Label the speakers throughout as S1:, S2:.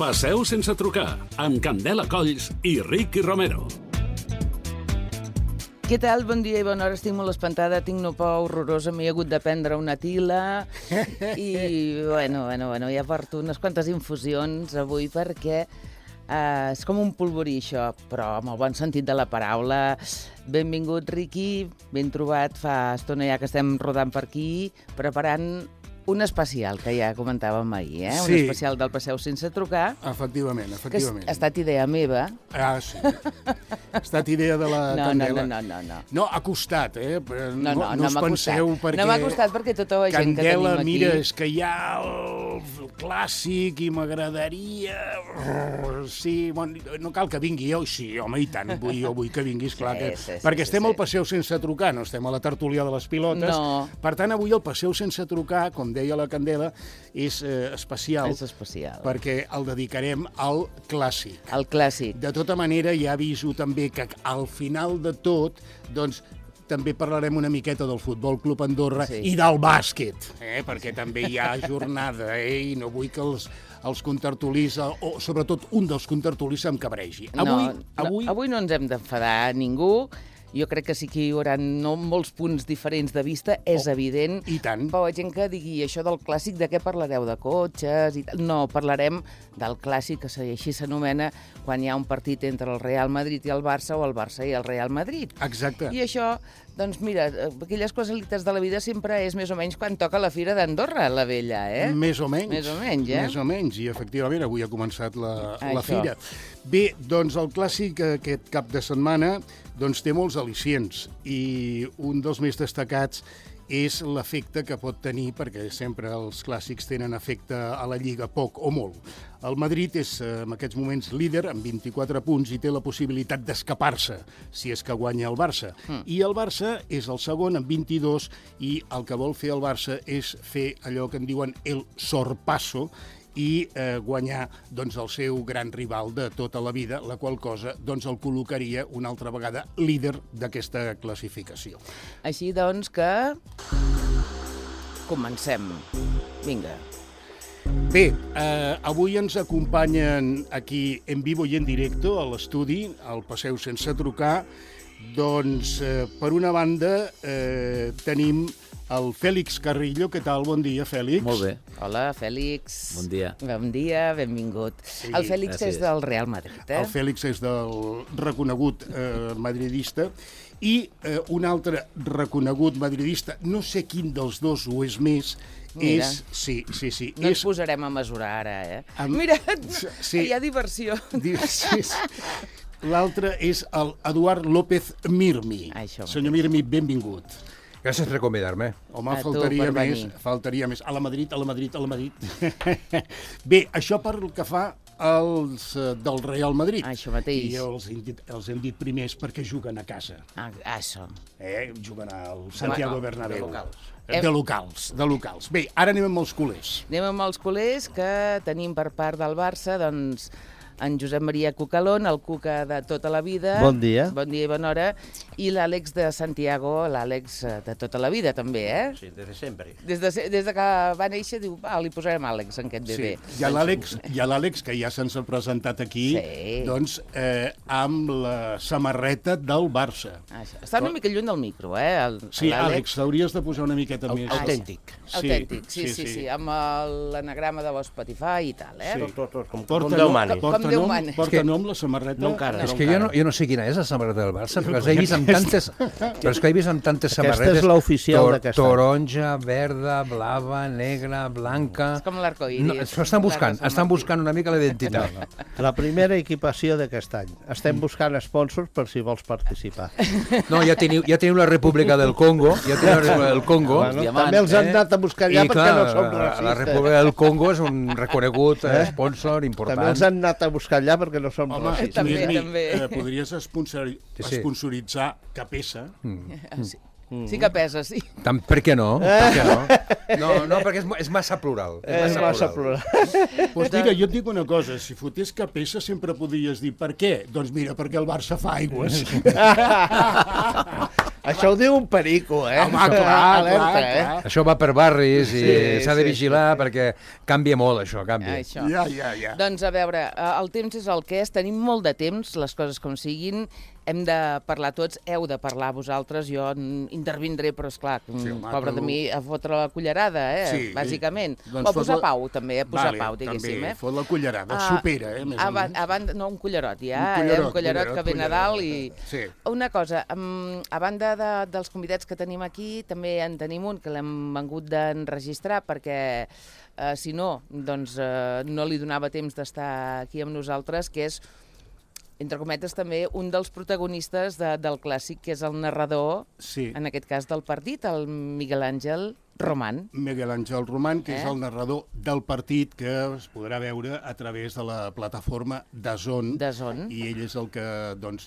S1: Passeu sense trucar, amb Candela Colls i Ricky Romero.
S2: Què tal? Bon dia i bona hora. Estic molt espantada, tinc una por horrorosa, m'he hagut de prendre una tila i, bueno, ja porto unes quantes infusions avui perquè és com un polvorí, això, però amb el bon sentit de la paraula. Benvingut, Ricky, ben trobat. Fa estona ja que estem rodant per aquí, preparant un especial, que ja comentàvem ahir, eh?
S3: Sí.
S2: Un especial del Passeu sense trucar.
S3: Efectivament.
S2: Que ha estat idea meva.
S3: Ah, sí. Ha estat idea de la Candela.
S2: No.
S3: No, ha costat, eh?
S2: No
S3: us penseu perquè...
S2: No m'ha costat perquè tota la gent que
S3: Candela,
S2: tenim aquí...
S3: mira, és que hi ha el clàssic i m'agradaria... Sí, bueno, no cal que vingui jo. Sí, home, i tant, jo vull que vinguis, clar. Perquè estem al Passeu sense trucar, no estem a la tertúlia de les pilotes.
S2: No.
S3: Per tant, avui el Passeu sense trucar, com deia la Candela, és especial.
S2: És especial.
S3: Perquè el dedicarem al clàssic.
S2: El clàssic.
S3: De tota manera, ja aviso també que al final de tot, doncs, també parlarem una miqueta del Futbol Club Andorra i del bàsquet, perquè també hi ha jornada, i no vull que els contertulis, o sobretot un dels contertulis, se'm cabregi.
S2: Avui no ens hem d'enfadar ningú. Jo crec que sí que hi haurà molts punts diferents de vista, és evident.
S3: I tant.
S2: Però hi ha gent que digui això del clàssic, de què parlareu? De cotxes? No, parlarem del clàssic, que així s'anomena, quan hi ha un partit entre el Real Madrid i el Barça o el Barça i el Real Madrid.
S3: Exacte.
S2: I això, doncs mira, aquelles casualitats de la vida sempre és més o menys quan toca la Fira d'Andorra, la vella, eh?
S3: Més o menys.
S2: Més o menys, eh?
S3: Més o menys, i efectivament avui ha començat la Fira. Bé, doncs el clàssic aquest cap de setmana doncs té molts al·licients i un dels més destacats és l'efecte que pot tenir, perquè sempre els clàssics tenen efecte a la Lliga, poc o molt. El Madrid és en aquests moments líder amb 24 punts i té la possibilitat d'escapar-se si és que guanya el Barça. I el Barça és el segon amb 22 i el que vol fer el Barça és fer allò que en diuen el sorpasso, i guanyar doncs, el seu gran rival de tota la vida, la qual cosa doncs, el col·locaria una altra vegada líder d'aquesta classificació.
S2: Així doncs que... comencem. Vinga.
S3: Bé, avui ens acompanyen aquí en vivo i en directo a l'estudi, al Passeu sense trucar. Doncs, per una banda, tenim el Fèlix Carrillo. Què tal? Bon dia, Fèlix.
S4: Molt bé.
S2: Hola, Fèlix.
S4: Bon dia.
S2: Bon dia, benvingut. Sí, el Fèlix és del Real Madrid, eh?
S3: El Fèlix és del reconegut madridista i un altre reconegut madridista, no sé quin dels dos ho és més,
S2: mira.
S3: Sí.
S2: No ens posarem a mesurar ara, eh? Mira, hi ha diversió.
S3: Sí. L'altre és el Eduard López Mirmi. Senyor Mirmi, benvingut.
S5: Gràcies per convidar-me.
S3: Home, faltaria més. A la Madrid. Bé, això per el que fa als del Real Madrid.
S2: Això mateix.
S3: I els hem dit primers perquè juguen a casa.
S2: Això.
S3: Juguen al Santiago Bernabéu.
S2: De
S3: locals. Bé, ara anem amb els culers.
S2: Anem amb els culers que tenim per part del Barça, doncs, en Josep Maria Cucalón, el Cuca de tota la vida.
S6: Bon dia.
S2: Bon dia i bona hora. I l'Àlex de Santiago, l'Àlex de tota la vida, també, eh?
S6: Sí, des de sempre.
S2: Des de que va néixer, diu, li posarem Àlex en aquest bebè.
S3: Sí. I a l'Àlex, que ja se'ns ha presentat aquí, doncs, amb la samarreta del Barça.
S2: Està una mica lluny del micro, eh?
S3: Sí, Àlex, t'hauries de posar una miqueta més...
S6: Autèntic.
S2: Autèntic, sí, amb l'anagrama de l'Spotify i tal, eh?
S6: Tot, com Déu mani.
S3: Porta nom la samarreta?
S6: No encara.
S5: És que jo no sé quina és la samarreta del Barça, però he vist amb tantes... Però és que he vist amb tantes samarretes...
S6: Aquesta és l'oficial d'aquest any.
S5: Taronja, verda, blava, negra, blanca...
S2: És com l'arcoiris.
S5: Estan buscant una mica la identitat.
S6: La primera equipació d'aquest any. Estem buscant sponsors per si vols participar.
S5: No, ja teniu la República del Congo,
S6: també els han anat a buscar allà perquè no som racistes.
S5: La República del Congo és un reconegut sponsor important.
S6: També els han anat a buscar allà perquè no som racistes.
S2: També.
S3: Podries sponsoritzar Capesa?
S2: Sí que pesa, sí.
S5: Per què no? No, perquè és massa plural.
S6: És massa plural.
S3: Doncs mira, jo et dic una cosa, si fotés Capesa sempre podries dir per què? Doncs mira, perquè el Barça fa aigües.
S6: Això ho diu un perico,
S3: Home, clar.
S5: Això va per barris i s'ha de vigilar perquè canvia molt, això, canvia.
S2: Això.
S3: Ja.
S2: Doncs a veure, el temps és el que és, tenim molt de temps, les coses com siguin, hem de parlar tots, heu de parlar vosaltres, jo intervindré, però esclar, pobre de mi, a fotre la cullerada, bàsicament. O a posar pau, també, a posar pau, diguéssim.
S3: També, fot la cullerada, supera, més o menys.
S2: No, un cullerot, un cullerot que ve Nadal i... Una cosa, a banda dels convidats que tenim aquí, també en tenim un que l'hem vengut d'enregistrar perquè si no, doncs no li donava temps d'estar aquí amb nosaltres, que és, entre cometes, també un dels protagonistes del clàssic, que és el narrador, en aquest cas del partit, el Miguel Àngel Román.
S3: Miguel Àngel Román, que és el narrador del partit, que es podrà veure a través de la plataforma DAZN. I ell és el que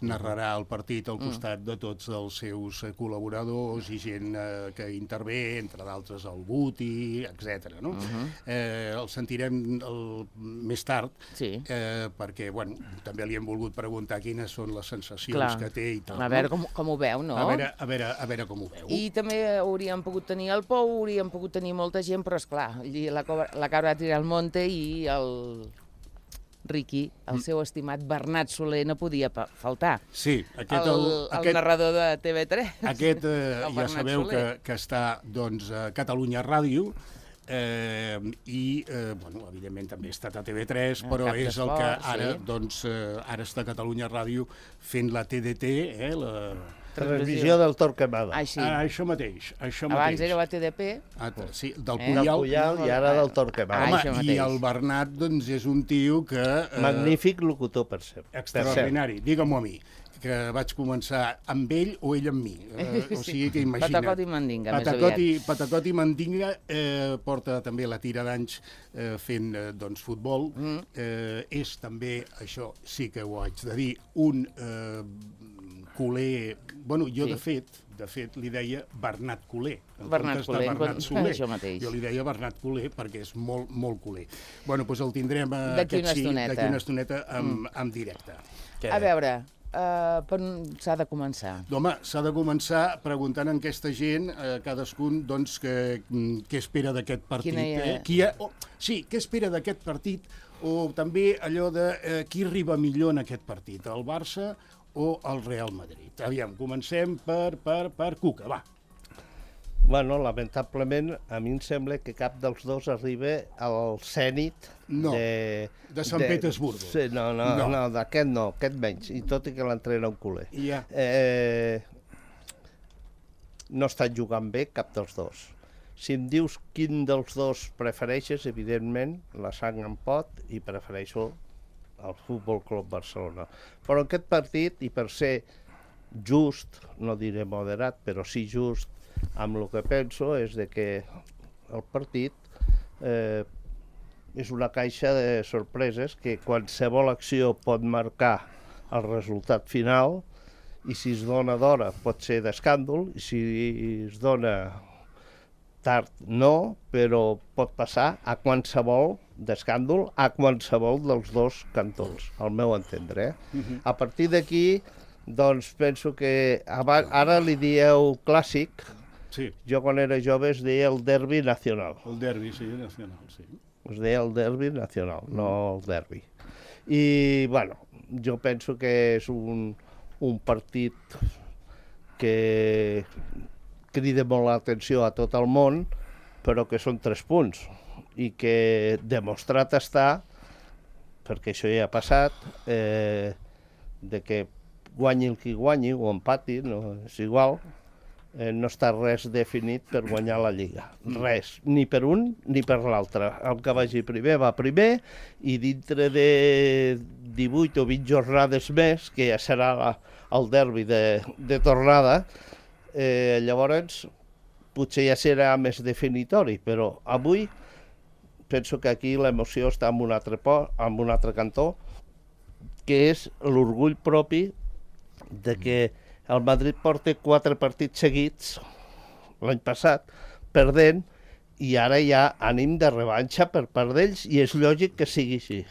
S3: narrarà el partit al costat de tots els seus col·laboradors i gent que intervé, entre d'altres el Guti, etc. El sentirem més tard, perquè també li hem volgut preguntar quines són les sensacions que té i tal.
S2: A veure com ho veu, no?
S3: A veure com ho veu.
S2: I també hauríem pogut tenir el Pou, hauríem pogut tenir molta gent, però esclar, la cabra va tirar al monte i el Riqui, el seu estimat Bernat Soler, no podia faltar.
S3: Sí,
S2: el narrador de TV3.
S3: Aquest ja sabeu que està a Catalunya Ràdio, i, evidentment també ha estat a TV3, però és el que ara està a Catalunya Ràdio fent la TDT, la
S6: transmissió del Torquemada.
S3: Això mateix.
S2: Abans era la TDP.
S3: Sí, del Puyal
S6: i ara del Torquemada.
S3: I el Bernat, és un tio que...
S6: Magnífic locutor, per cert.
S3: Extraordinari, digue-m'ho a mi, que vaig començar amb ell o ell amb mi. O sigui que imagina't.
S2: Patacot i mandinga, més aviat.
S3: Patacot i mandinga, porta també la tira d'anys fent futbol. És també, això sí que ho haig de dir, un culer... Bueno, jo de fet li deia Bernat Culer.
S2: Bernat Culer, això mateix.
S3: Jo li deia Bernat Culer perquè és molt, molt culer. Bueno, doncs el tindrem
S2: d'aquí una
S3: estoneta en directe.
S2: A veure, per on s'ha de començar?
S3: Home, s'ha de començar preguntant a aquesta gent, cadascun, què espera d'aquest partit. Què espera d'aquest partit, o també allò de qui arriba millor en aquest partit, el Barça o el Real Madrid. Aviam, comencem per Cuca, va.
S6: Bueno, lamentablement, a mi em sembla que cap dels dos arriba al zènit
S3: de Sant Petersburgo.
S6: Sí, no, d'aquest no, aquest menys, i tot i que l'entrena un culer. No estan jugant bé cap dels dos. Si em dius quin dels dos prefereixes, evidentment, la sang em pot i prefereixo el Futbol Club Barcelona. Però aquest partit, i per ser just, no diré moderat, però sí just, amb el que penso és que el partit és una caixa de sorpreses que qualsevol acció pot marcar el resultat final, i si es dona d'hora pot ser d'escàndol, i si es dona tard no, però pot passar a qualsevol d'escàndol, a qualsevol dels dos cantons, al meu entendre. A partir d'aquí, doncs penso que ara li dieu clàssic. Jo quan era jove es deia el derbi nacional.
S3: El derbi, sí, nacional, sí.
S6: Es deia el derbi nacional, no el derbi. I, bueno, jo penso que és un partit que crida molt l'atenció a tot el món, però que són 3 punts, i que demostrat està, perquè això ja ha passat, de que guanyi el qui guanyi, o empati, no és igual, no està res definit per guanyar la Lliga. Res, ni per un ni per l'altre. El que vagi primer va primer, i dintre de 18 o 20 jornades més, que ja serà el derbi de tornada, llavors potser ja serà més definitori, però avui penso que aquí l'emoció està en un altre cantó, que és l'orgull propi de que el Madrid porta 4 partits seguits l'any passat perdent, i ara hi ha ànim de revanxa per part d'ells, i és lògic que sigui així.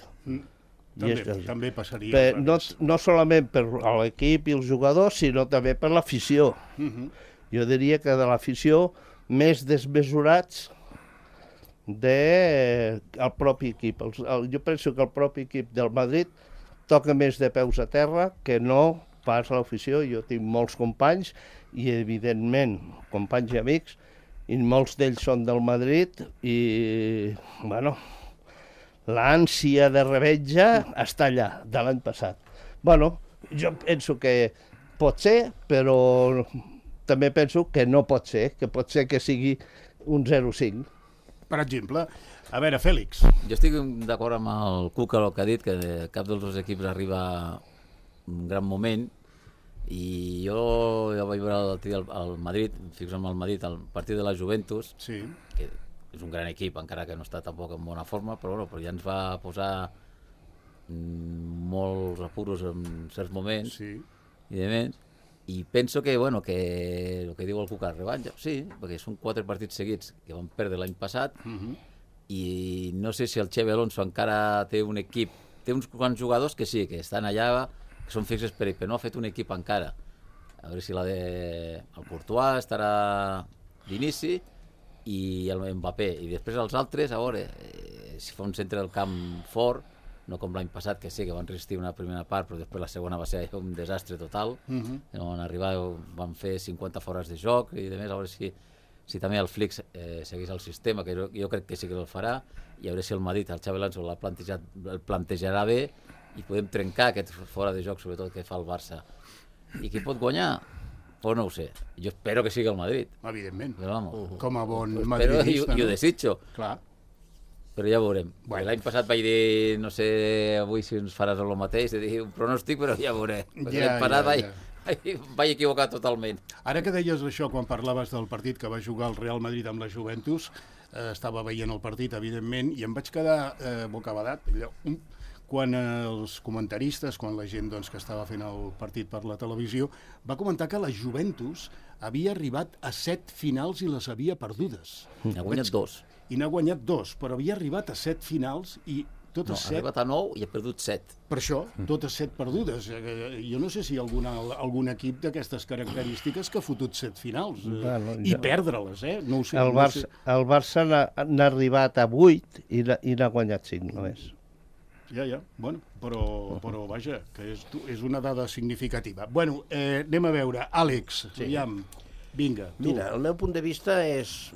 S3: També passaria.
S6: No solament per l'equip i els jugadors, sinó també per l'afició. Jo diria que de l'afició més desmesurats del propi equip. Jo penso que el propi equip del Madrid toca més de peus a terra que no pas l'afició. Jo tinc molts companys i, evidentment, companys i amics, i molts d'ells són del Madrid i, bueno, l'ànsia de revenja està allà, de l'any passat. Bueno, jo penso que pot ser, però també penso que no pot ser, que pot ser que sigui un 0-5.
S3: Per exemple, a veure, Fèlix.
S4: Jo estic d'acord amb el Cuca, el que ha dit, que cap dels dos equips arriba un gran moment, i jo ja vaig veure el Madrid, fixa'm al Madrid, el partit de la Juventus,
S3: Sí.
S4: que és un gran equip, encara que no està tampoc en bona forma, però ja ens va posar molts apuros en certs moments,
S3: Sí.
S4: i de més, i penso que, bueno, que el que diu el Cuca, revanxa, sí, perquè són 4 partits seguits que van perdre l'any passat, i no sé si el Xavi Alonso encara té un equip, té uns quants jugadors que sí, que estan allà, que són fixes per ell, però no ha fet un equip encara. A veure si el Courtois estarà d'inici i el Mbappé, i després els altres, a veure, si fa un centre del camp fort, no com l'any passat, que sí, que van resistir una primera part, però després la segona va ser un desastre total, van arribar, van fer 50 fores de joc, i a més, a veure si també el Flick segueix el sistema, que jo crec que sí que el farà, i a veure si el Madrid, el Xavi Alonso el plantejarà bé, i podem trencar aquest fora de joc, sobretot que fa el Barça. I qui pot guanyar? Pues no ho sé. Jo espero que sigui el Madrid.
S3: Evidentment.
S4: Però, vamos,
S3: com a bon
S4: madridista.
S3: madridista.
S4: I ho desitjo.
S3: Clar.
S4: Però ja veurem.
S3: Bueno.
S4: L'any passat vaig dir, no sé avui si ens faràs el mateix, de dir un pronòstic, però ja veuré. L'any passat vaig equivocar totalment.
S3: Ara que deies això, quan parlaves del partit que va jugar el Real Madrid amb la Juventus, estava veient el partit, evidentment, i em vaig quedar bocabadat. Quan els comentaristes, quan la gent doncs, que estava fent el partit per la televisió, va comentar que la Juventus havia arribat a 7 finals i les havia perdudes.
S4: N'ha guanyat 2.
S3: I n'ha guanyat 2, però havia arribat a 7 finals i totes 7...
S4: Ha arribat a 9 i ha perdut 7.
S3: Per això, totes 7 perdudes. Jo no sé si hi ha algun equip d'aquestes característiques que ha fotut 7 finals. I perdre-les, No ho sé.
S6: El Barça n'ha arribat a 8 i n'ha guanyat 5 només.
S3: Ja. Bueno, però vaja, que és una dada significativa. Bueno, anem a veure. Àlex, aviam, vinga, tu.
S7: Mira, el meu punt de vista és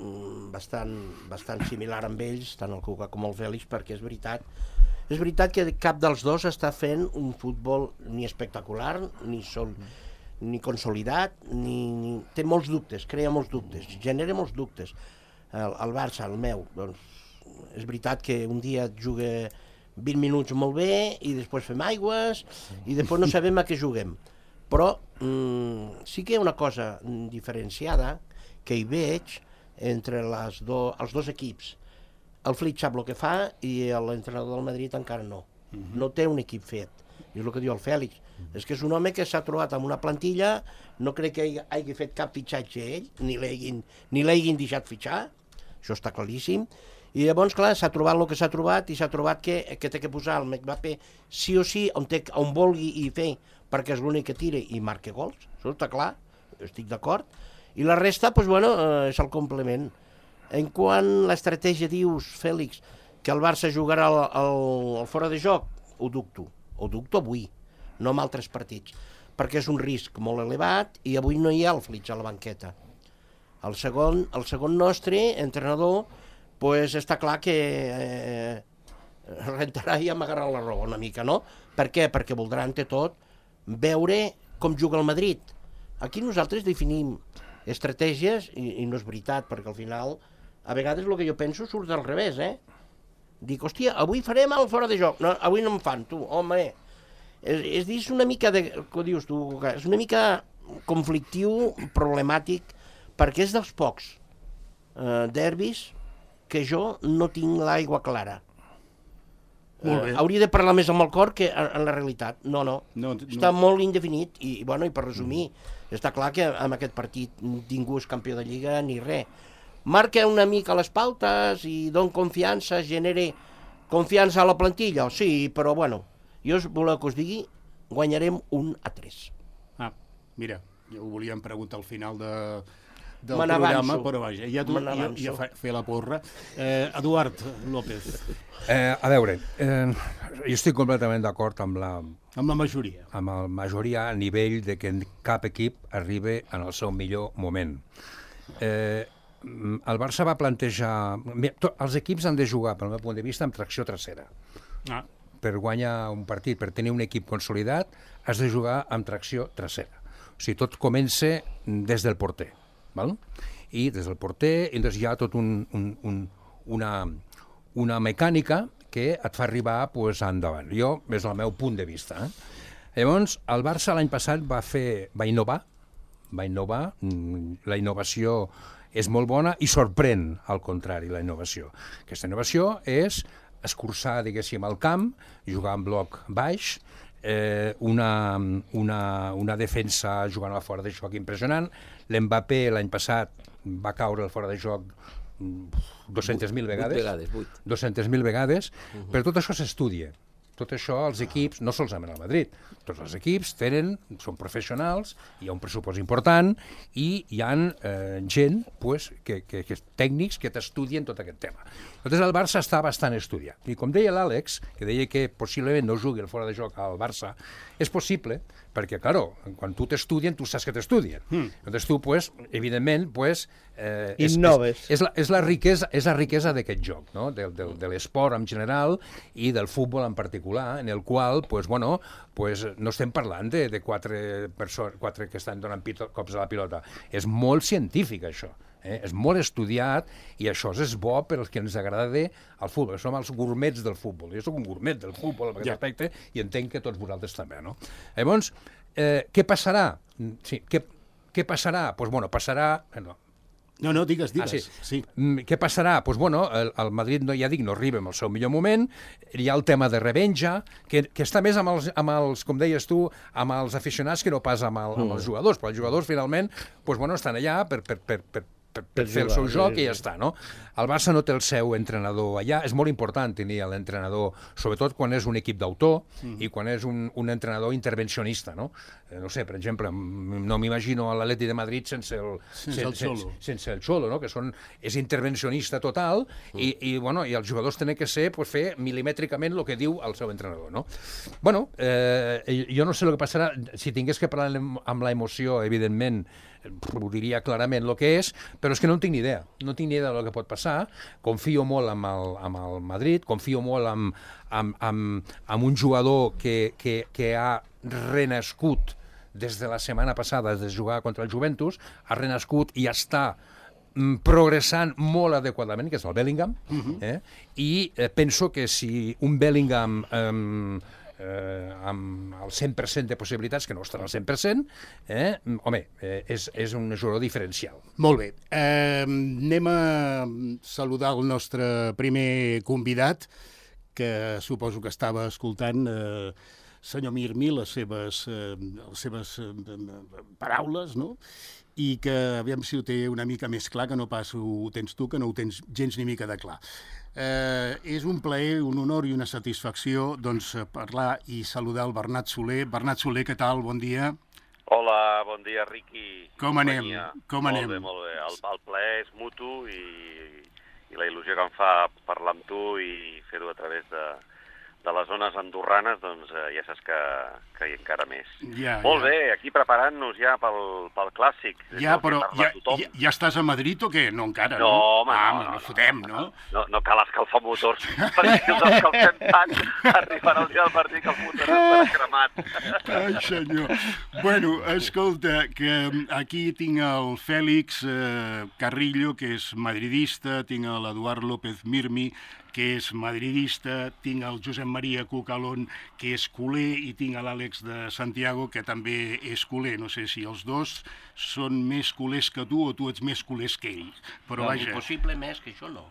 S7: bastant similar amb ells, tant el Cuca com el Fèlix, perquè és veritat que cap dels dos està fent un futbol ni espectacular, ni consolidat, té molts dubtes, crea molts dubtes, genera molts dubtes. El Barça, el meu, doncs, és veritat que un dia juga 20 minuts molt bé i després fem aigües i després no sabem a què juguem. Però sí que hi ha una cosa diferenciada que hi veig entre els dos equips. El Flick sap el que fa i l'entrenador del Madrid encara no. No té un equip fet. I és el que diu el Fèlix. És que és un home que s'ha trobat amb una plantilla, no crec que hagi fet cap fitxatge ell, ni l'hagin deixat fitxar, això està claríssim. I llavors, clar, s'ha trobat el que s'ha trobat i s'ha trobat que té que posar el Mbappé sí o sí on vulgui i fer, perquè és l'únic que tira i marca gols, això està clar, estic d'acord. I la resta, doncs, bueno, és el complement. En quant a l'estratègia, dius, Fèlix, que el Barça jugarà al fora de joc, ho dubto avui, no en altres partits, perquè és un risc molt elevat i avui no hi ha el Flick a la banqueta. El segon nostre, entrenador, pues està clar que rentarà i amagarà la roba una mica, no? Per què? Perquè voldrà, ante tot, veure com juga el Madrid. Aquí nosaltres definim estratègies, i no és veritat, perquè al final, a vegades el que jo penso surt al revés, Dic, hòstia, avui farem el fora de joc. No, avui no em fan, tu, home. És una mica, què dius tu, és una mica conflictiu, problemàtic, perquè és dels pocs derbis que jo no tinc l'aigua clara. Hauria de parlar més amb el cor que en la realitat. No. Està molt indefinit i per resumir, està clar que amb aquest partit ningú és campió de Lliga ni res. Marca una mica les pautes i dona confiança, genera confiança a la plantilla, sí, però Jo voleu que us digui, guanyarem 1-3.
S3: Ah, mira, jo ho volíem preguntar al final del
S7: Me
S3: programa,
S7: n'avanço.
S3: però vaja, ja tu ja fer la porra. Eduard López,
S5: A veure, jo estic completament d'acord amb la
S3: amb la majoria.
S5: majoria a nivell de que cap equip arribi en el seu millor moment. El Barça va plantejar... Els equips han de jugar, pel meu punt de vista, amb tracció trasera.
S3: Ah,
S5: Per guanyar un partit, per tenir un equip consolidat, has de jugar amb tracció trasera. O sigui, tot comença des del porter. Val? I des del porter, doncs hi ha tot una mecànica que et fa arribar pues, endavant. Jo, és el meu punt de vista. Llavors, el Barça l'any passat va innovar, la innovació és molt bona i sorprèn, al contrari, la innovació. Aquesta innovació és escurçar, diguéssim, el camp, jugar en bloc baix, una defensa jugant a fora de joc impressionant. L'Mbappé l'any passat va caure al fora de joc 200.000 vegades. 200.000 vegades. Però tot això s'estudia. Tot això els equips, no solament al Madrid, tots els equips són professionals, hi ha un pressupost important i hi ha gent, pues, tècnics que t'estudien tot aquest tema. Llavors el Barça està bastant estudiat. I com deia l'Àlex, que deia que possiblement no jugui el fora de joc al Barça, és possible, perquè, claro, quan tu t'estudien, tu saps que t'estudien. Llavors tu, pues, evidentment, pues,
S6: innoves.
S5: És la riquesa d'aquest joc, no? De l'esport en general i del futbol en particular, en el qual, pues, bueno, pues, no estem parlant de quatre que estan donant cops a la pilota. És molt científic, això. És molt estudiat i això és bo per als que ens agrada el futbol. Som els gourmets del futbol. Jo soc un gourmet del futbol en aquest aspecte i entenc que tots vosaltres també, no? Llavors, què passarà? Sí, què passarà? Doncs, bueno, passarà...
S3: No, digues.
S5: Sí. Què passarà? Doncs, bueno, el Madrid, ja dic, no arriba en el seu millor moment, hi ha el tema de revenja, que està més amb els, com deies tu, amb els aficionats que no pas amb els jugadors, però els jugadors, finalment, doncs, bueno, estan allà per fer el seu joc i ja està, no? El Barça no té el seu entrenador allà. És molt important tenir l'entrenador, sobretot quan és un equip d'autor i quan és un entrenador intervencionista, no? No sé, per exemple, no m'imagino l'Atleti de Madrid sense el Xolo, no? Que és intervencionista total i els jugadors tenen que ser, pues, fer milimètricament el que diu el seu entrenador, no? Bueno, jo no sé el que passarà. Si tingués que parlar amb l'emoció, evidentment, ho diria clarament el que és, però és que no en tinc ni idea. No tinc ni idea del que pot passar. Confio molt amb el Madrid, confio molt amb un jugador que ha renascut des de la setmana passada, des de jugar contra el Juventus, ha renascut i està progressant molt adequadament, que és el Bellingham, i penso que si un Bellingham amb el 100% de possibilitats, que no estan al 100%, és un jugador diferencial.
S3: Molt bé. Anem a saludar el nostre primer convidat, que suposo que estava escoltant, senyor Mirmi, les seves paraules, no? I que, aviam si ho té una mica més clar, que no pas ho tens tu, que no ho tens gens ni mica de clar. És un plaer, un honor i una satisfacció doncs, parlar i saludar el Bernat Soler. Bernat Soler, què tal? Bon dia.
S8: Hola, bon dia, Riqui.
S3: Com anem?
S8: Molt bé, molt bé. El plaer és mutu i la il·lusió que em fa parlar amb tu i fer-ho a través de les zones andorranes, doncs ja saps que hi encara més. Molt bé, aquí preparant-nos ja pel clàssic.
S3: Ja, però ja estàs a Madrid o què? No, encara, no?
S8: No, home,
S3: no fotem, no?
S8: No cal escalfar motors, perquè si els escalfem tant, arribarà el dia del partit que el motor estarà cremat.
S3: Ai, senyor. Bueno, escolta, que aquí tinc el Fèlix Carrillo, que és madridista, tinc l'Eduard López Mirmi, que és madridista, tinc el Josep Maria Cucalón, que és culer, i tinc l'Àlex de Santiago, que també és culer. No sé si els dos són més culers que tu o tu ets més culers que ells. Però vaja...
S7: Impossible més que això, no.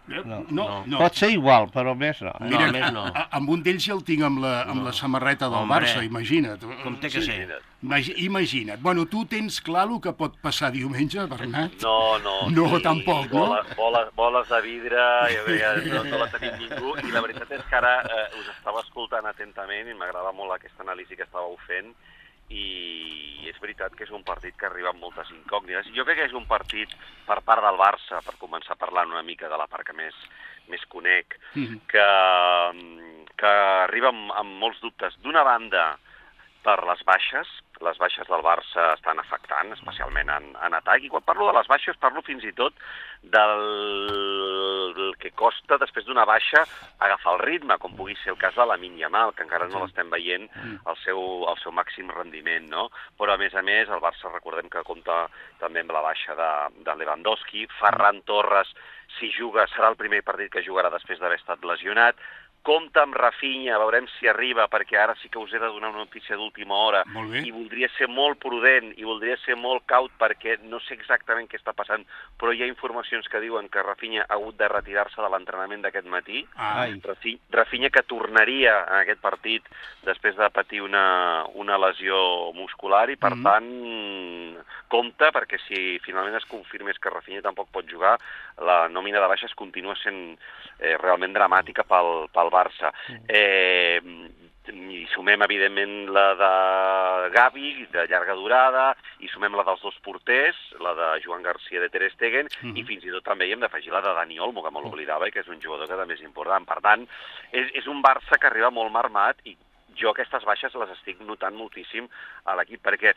S3: No.
S6: Pot ser igual, però més no.
S3: Mira,
S7: més no.
S3: amb un d'ells ja el tinc amb la samarreta del Barça, imagina't.
S7: Com té que ser.
S3: Imagina't. Bueno, tu tens clar el que pot passar diumenge, Bernat?
S8: No.
S3: No, tampoc, no?
S8: Boles de vidre, no la tenim ningú, i la veritat és que ara us estava escoltant atentament i m'agrada molt aquesta anàlisi que estàveu fent, i és veritat que és un partit que arriba amb moltes incògnites. Jo crec que és un partit per part del Barça, per començar parlant una mica de la part que més conec, que arriba amb molts dubtes. D'una banda, per les baixes del Barça estan afectant, especialment en atac, i quan parlo de les baixes parlo fins i tot del que costa després d'una baixa agafar el ritme, com pugui ser el cas de Lamine Yamal, que encara no l'estem veient al seu màxim rendiment, no? Però a més, el Barça recordem que compta també amb la baixa de Lewandowski. Ferran Torres, si juga, serà el primer partit que jugarà després d'haver estat lesionat. Compta amb Rafinha, veurem si arriba, perquè ara sí que us he de donar una notícia d'última hora, i voldria ser molt prudent i voldria ser molt caut perquè no sé exactament què està passant, però hi ha informacions que diuen que Rafinha ha hagut de retirar-se de l'entrenament d'aquest matí. Rafinha que tornaria en aquest partit després de patir una lesió muscular, i per tant compta, perquè si finalment es confirmés que Rafinha tampoc pot jugar, la nòmina de baixes continua sent realment dramàtica pel Barça. I sumem, evidentment, la de Gavi, de llarga durada, i sumem la dels dos porters, la de Joan Garcia de Ter Stegen, i fins i tot també hi hem d'afegir la de Dani Olmo, que me l'oblidava, i que és un jugador que també és important. Per tant, és un Barça que arriba molt marmat, i jo aquestes baixes les estic notant moltíssim a l'equip, perquè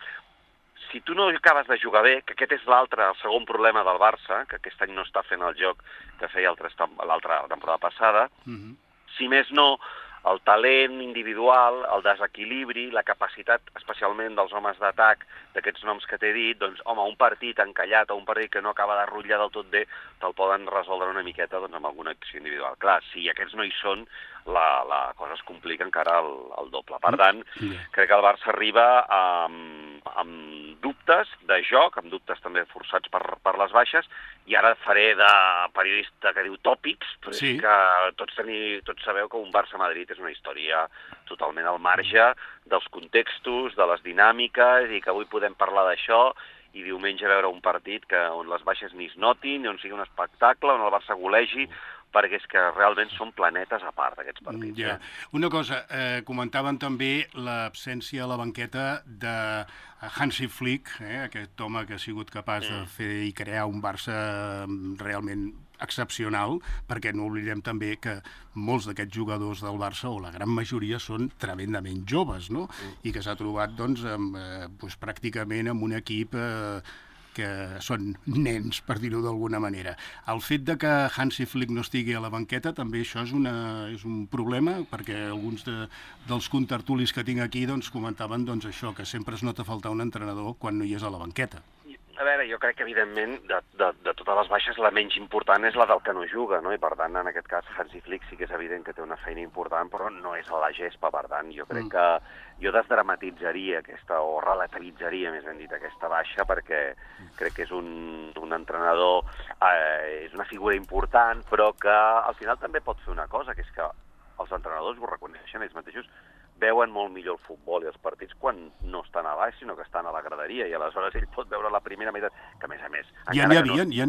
S8: si tu no acabes de jugar bé, que aquest és el segon problema del Barça, que aquest any no està fent el joc que feia l'altra temporada passada, si més no, el talent individual, el desequilibri, la capacitat especialment dels homes d'atac, d'aquests noms que t'he dit, doncs, home, un partit encallat o un partit que no acaba de rutllar del tot bé, te'l poden resoldre una miqueta amb alguna acció individual. Clar, si aquests no hi són, la cosa es complica encara el doble. Per tant, crec que el Barça arriba amb dubtes de joc, amb dubtes també forçats per les baixes, i ara faré de periodista que diu tòpics, però és que tots sabeu que un Barça-Madrid és una història totalment al marge dels contextos, de les dinàmiques, i que avui podem parlar d'això, i diumenge veure un partit on les baixes ni es notin, on sigui un espectacle, on el Barça golegi, perquè és que realment són planetes a part, aquests partits.
S3: Una cosa, comentaven també l'absència a la banqueta de Hansi Flick, aquest home que ha sigut capaç de fer i crear un Barça realment excepcional, perquè no oblidem també que molts d'aquests jugadors del Barça, o la gran majoria, són tremendament joves, no? I que s'ha trobat pràcticament amb un equip que són nens, per dir-ho d'alguna manera. El fet de que Hansi Flick no estigui a la banqueta, també això és un problema, perquè alguns dels contertulis que tinc aquí comentaven això, que sempre es nota faltar un entrenador quan no hi és a la banqueta.
S8: A veure, jo crec que, evidentment, de totes les baixes, la menys important és la del que no juga, no? I, per tant, en aquest cas, Hansi Flick sí que és evident que té una feina important, però no és a la gespa, per tant, jo crec que jo desdramatitzaria o relativitzaria, més ben dit, aquesta baixa, perquè crec que és un entrenador, és una figura important, però que al final també pot fer una cosa, que és que els entrenadors ho reconeixen ells mateixos, veuen molt millor el futbol i els partits quan no estan a baix, sinó que estan a la graderia, i aleshores ell pot veure la primera meitat, que a més...
S3: Ja n'hi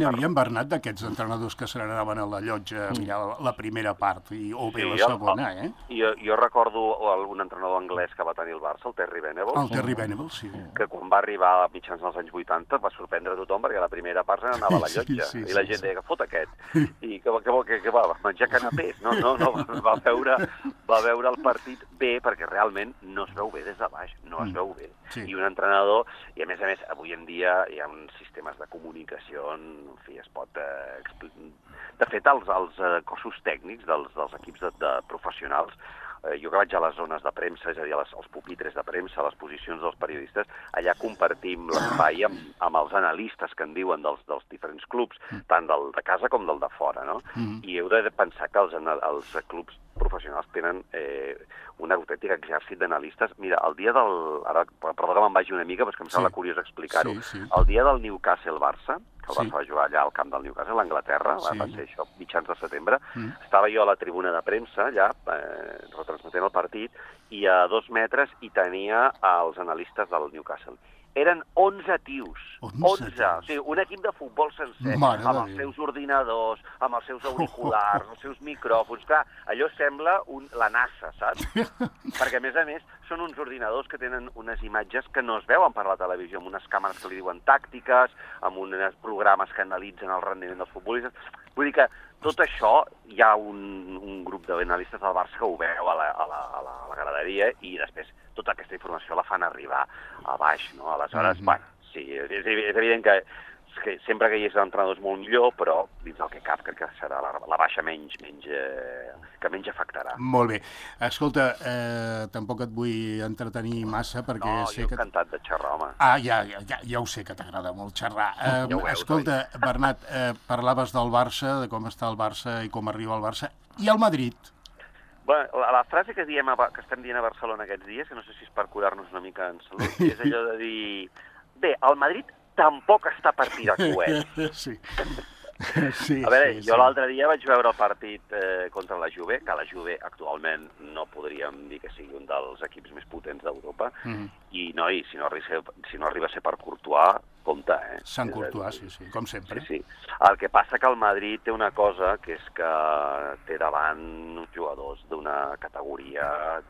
S3: havia, Bernat, d'aquests entrenadors que se n'anaven a la llotja a mirar la primera part, o bé la segona,
S8: Jo recordo un entrenador anglès que va tenir el Barça, el Terry Venables.
S3: El Terry Venables, sí.
S8: Que quan va arribar a mitjans dels anys 80 va sorprendre tothom, perquè a la primera part se n'anava a la llotja, i la gent deia que fot aquest, i que va menjar canapés, no, va veure el partit bé, perquè realment no es veu bé des de baix, no es veu bé. I un entrenador, i a més, avui en dia hi ha uns sistemes de comunicació, en fi, es pot... De fet, els cossos tècnics dels equips de professionals, jo que vaig a les zones de premsa, és a dir, als pupitres de premsa, a les posicions dels periodistes, allà compartim l'espai amb els analistes que en diuen dels diferents clubs, tant del de casa com del de fora, no? I heu de pensar que els clubs professionals tenen un autèntic exèrcit d'analistes. Mira, el dia perdó que me'n vagi una mica, però és que em sembla curiós explicar-ho. El dia del Newcastle-Barça, que el Barça va jugar allà al camp del Newcastle, a Anglaterra, va ser això, mitjans de setembre, estava jo a la tribuna de premsa, allà, retransmetent el partit, i a 2 metres hi tenia els analistes del Newcastle. eren 11 tios. 11.
S3: tios.
S8: O sigui, un equip de futbol sencer,
S3: Mare de
S8: amb els
S3: Déu.
S8: seus ordinadors, amb els seus auriculars, els seus micròfons. Clar, allò sembla la NASA, saps? Perquè, a més, són uns ordinadors que tenen unes imatges que no es veuen per la televisió, amb unes càmeres que li diuen tàctiques, amb uns programes que analitzen el rendiment dels futbolistes. Vull dir que tot això, hi ha un grup d'analistes del Barça que ho veu a la graderia i després tota aquesta informació la fan arribar a baix, no? Aleshores, bueno, sí, és evident que sempre que hi hagi entrenadors molt millor, però dins del que cap crec que serà la baixa que menys afectarà.
S3: Molt bé. Escolta, tampoc et vull entretenir massa perquè
S8: No,
S3: sé
S8: jo
S3: que...
S8: encantat de xerrar, home.
S3: Ja ho sé que t'agrada molt xerrar.
S8: Ja ho veus,
S3: Escolta, Bernat, parlaves del Barça, de com està el Barça i com arriba el Barça. I el Madrid?
S8: Bueno, la frase que estem dient a Barcelona aquests dies, que no sé si és per curar-nos una mica en salut, és allò de dir... Bé, el Madrid tampoc està per tirar coets.
S3: Sí.
S8: A veure, jo l'altre dia vaig veure el partit contra la Juve, que la Juve actualment no podríem dir que sigui un dels equips més potents d'Europa, i si no arriba a ser per Courtois, compte,
S3: Sant Courtois, sí, com sempre.
S8: Sí. El que passa que el Madrid té una cosa, que és que té davant uns jugadors d'una categoria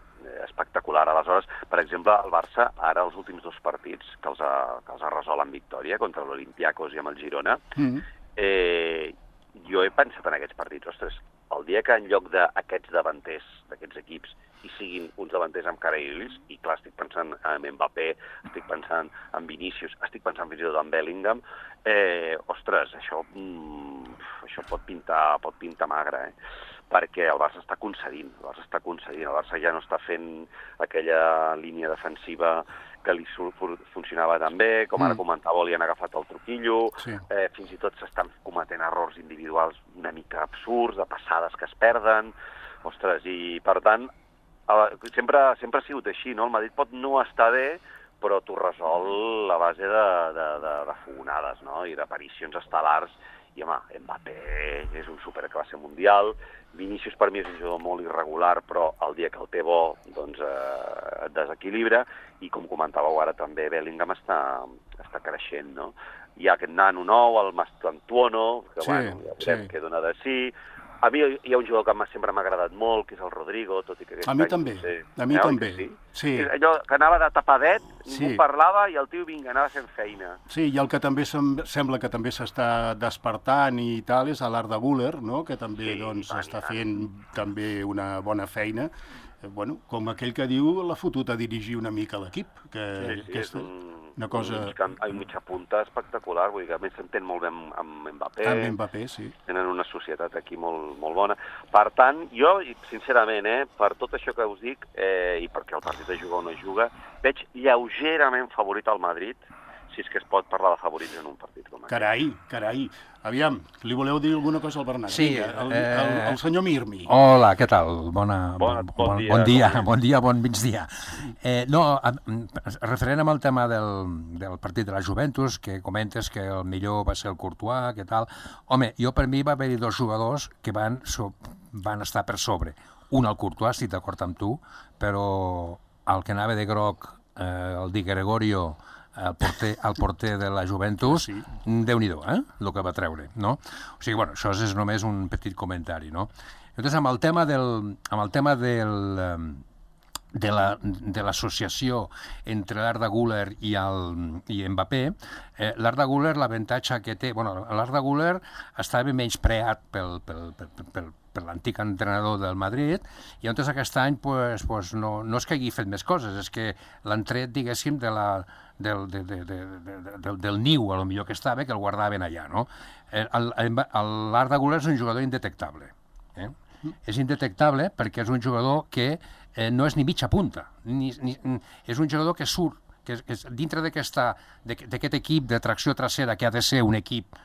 S8: espectacular. Aleshores, per exemple, el Barça, ara els últims 2 partits que els ha resolt en victòria contra l'Olympiakos i amb el Girona, jo he pensat en aquests partits, ostres, el dia que en lloc d'aquests davanters, d'aquests equips, hi siguin uns davanters amb cara i ulls, i clar, estic pensant en Mbappé, estic pensant en Vinícius, estic pensant fins i tot en Bellingham, ostres, això pot pintar magre, perquè el Barça està concedint, el Barça ja no està fent aquella línia defensiva que li funcionava tan bé, com ara comentava, li han agafat el truquillo, fins i tot s'estan cometent errors individuals una mica absurds, de passades que es perden, ostres, i per tant, sempre ha sigut així, no? El Madrid pot no estar bé, però t'ho resol a base de fogonades, no? I d'aparicions estel·lars. I, home, Mbappé és un superclasse mundial, Vinícius per mi és un jugador molt irregular, però el dia que el té bo, doncs et desequilibra, i com comentàveu ara també, Bellingham està creixent, no? Hi ha aquest nano nou, el Mastantuono, que bueno, ja veurem què dona de sí. A mi hi ha un jugador que sempre m'ha agradat molt, que és el Rodrigo, tot i que aquest
S3: any... A mi també.
S8: Sí. Allò que anava de tapadet, ningú parlava i el tio anava fent feina.
S3: Sí, i el que també sembla que també s'està despertant i tal és l'Arda Güler, no? Que també està fent també una bona feina. Bueno, com aquell que diu, l'ha fotut a dirigir una mica l'equip.
S8: És
S3: una cosa...
S8: Un mitja punta espectacular, vull dir que a més s'entén molt bé amb Mbappé.
S3: Amb Mbappé, sí.
S8: Tenen una societat aquí molt bona. Per tant, jo, sincerament, per tot això que us dic, i perquè el partit de jugar o no juga, veig lleugerament favorit al Madrid, si és que es pot parlar de favorits en un partit com aquest.
S3: Carai. Aviam, li voleu dir alguna cosa al Bernat?
S5: Sí.
S3: El senyor Mirmi.
S5: Hola, què tal? Bon dia, bon migdia. Referent amb el tema del partit de la Juventus, que comentes que el millor va ser el Courtois, què tal? Home, per mi va haver-hi 2 jugadors que van estar per sobre. Un, el Courtois, estic d'acord amb tu, però el que anava de groc, el Di Gregorio, el porter de la Juventus, Déu-n'hi-do, el que va treure, no? O sigui, bueno, això és només un petit comentari, no? Llavors, amb el tema de l'associació entre l'Arda Güler i Mbappé, l'Arda Güler, l'avantatge que té... Bueno, l'Arda Güler estava menyspreat per l'antic entrenador del Madrid, i llavors aquest any no és que hagi fet més coses, és que l'han tret, diguéssim, del niu, a lo millor que estava, que el guardaven allà, no? L'Arda Güler és un jugador indetectable. És indetectable perquè és un jugador que no és ni mitja punta, és un jugador que surt, que dintre d'aquest equip de tracció trasera, que ha de ser un equip,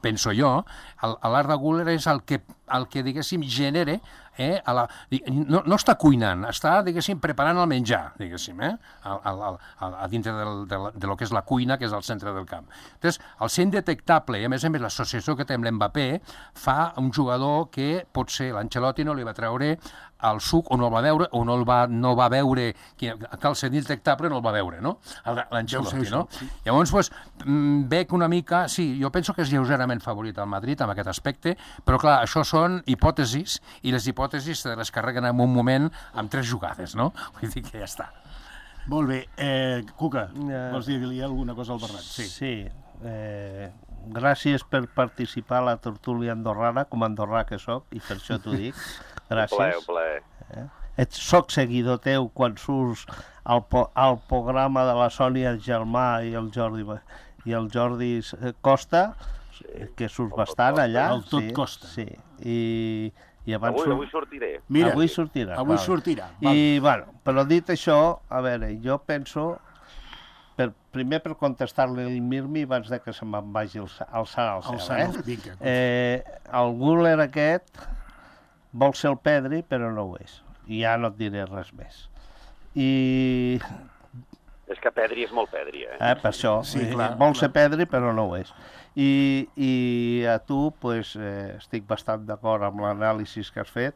S5: penso jo, l'Arda Güler és el que el que, diguéssim, genere, no està cuinant, està, diguéssim, preparant el menjar, diguéssim, a dintre de lo que és la cuina, que és al centre del camp. Llavors, al ser indetectable, i a més l'associació que té amb l'Mbappé, fa un jugador que potser l'Ancelotti no li va treure el suc o no el va veure, o no va veure, que al ser indetectable no el va veure, no? L'Ancelotti, no? Llavors, doncs, veig una mica, sí, jo penso que és lleugerament favorit al Madrid en aquest aspecte, però clar, això són hipòtesis, i les hipòtesis se les carreguen en un moment amb 3 jugades, no? Vull dir que ja està.
S3: Molt bé. Cuca, vols dir-li alguna cosa al Bernat?
S6: Sí. Gràcies per participar a la tertúlia andorrana, com a andorrà que soc, i per això t'ho dic. Gràcies.
S8: Un plaer.
S6: Soc seguidor teu quan surts al programa de la Sònia Germà i el Jordi Costa, que surts bastant allà.
S3: El tot Costa.
S6: Sí, i abans...
S8: Avui sortiré.
S3: Mira,
S6: avui sortirà.
S3: Avui sortirà.
S6: I, bueno, però dit això, a veure, jo penso, primer per contestar-li el Mirmi abans de que se me'n vagi alçant al cel. El Güler aquest vol ser el Pedri, però no ho és. I ja no et diré res més.
S8: És que Pedri és molt Pedri,
S6: per això. Sí, vol ser Pedri, però no ho és. I a tu, estic bastant d'acord amb l'anàlisi que has fet.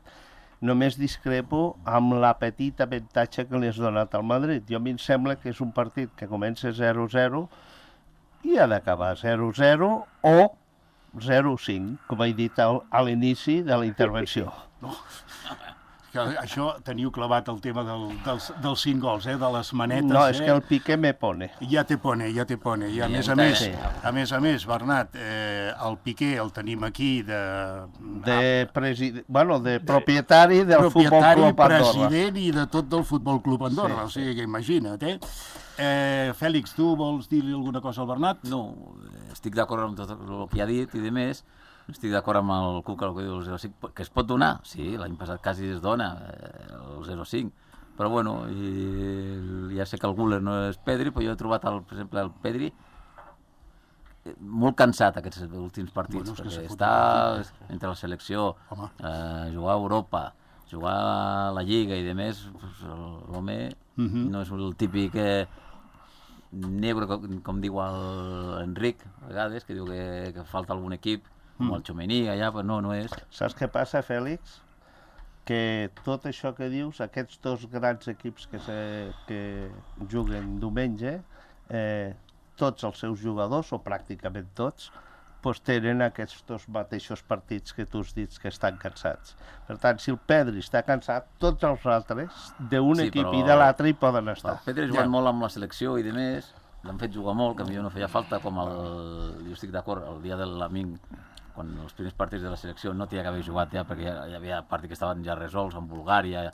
S6: Només discrepo amb la petita avantatge que li has donat al Madrid. Jo a mi em sembla que és un partit que comença 0-0 i ha d'acabar 0-0 o 0-5, com he dit a l'inici de la intervenció.
S3: No. Això teniu clavat el tema dels 5 gols, de les manetes.
S6: No, és que el Piqué me pone.
S3: Ja te pone. I a més, Bernat, el Piqué el tenim aquí
S6: de propietari del Futbol Club Andorra.
S3: President i de tot del Futbol Club Andorra, o sigui que imagina't, Fèlix, tu vols dir-li alguna cosa al Bernat?
S4: No, estic d'acord amb tot el que ha dit i de més. Estic d'acord amb el Cuca, el que diu el 0-5, que es pot donar, sí, l'any passat quasi es dona el 0-5, però bueno, ja sé que el Güler no és Pedri, però jo he trobat, per exemple, el Pedri molt cansat aquests últims partits, perquè està entre la selecció, jugar a Europa, jugar a la Lliga i demés, l'home no és el típic negre, com diu l'Enric, a vegades, que diu que falta algun equip, com el Txomení, allà, però no és.
S6: Saps què passa, Fèlix? Que tot això que dius, aquests 2 grans equips que juguen diumenge, tots els seus jugadors, o pràcticament tots, tenen aquests 2 mateixos partits que tu has dit que estan cansats. Per tant, si el Pedri està cansat, tots els altres, d'un equip i de l'altre, hi poden estar.
S4: El Pedri ha jugat molt amb la selecció i de més, l'han fet jugar molt, que a mi no feia falta, com jo estic d'acord, el dia de l'amic, quan els primers partits de la selecció no tenia que haver jugat ja, perquè hi havia partits que estaven ja resolts amb Bulgària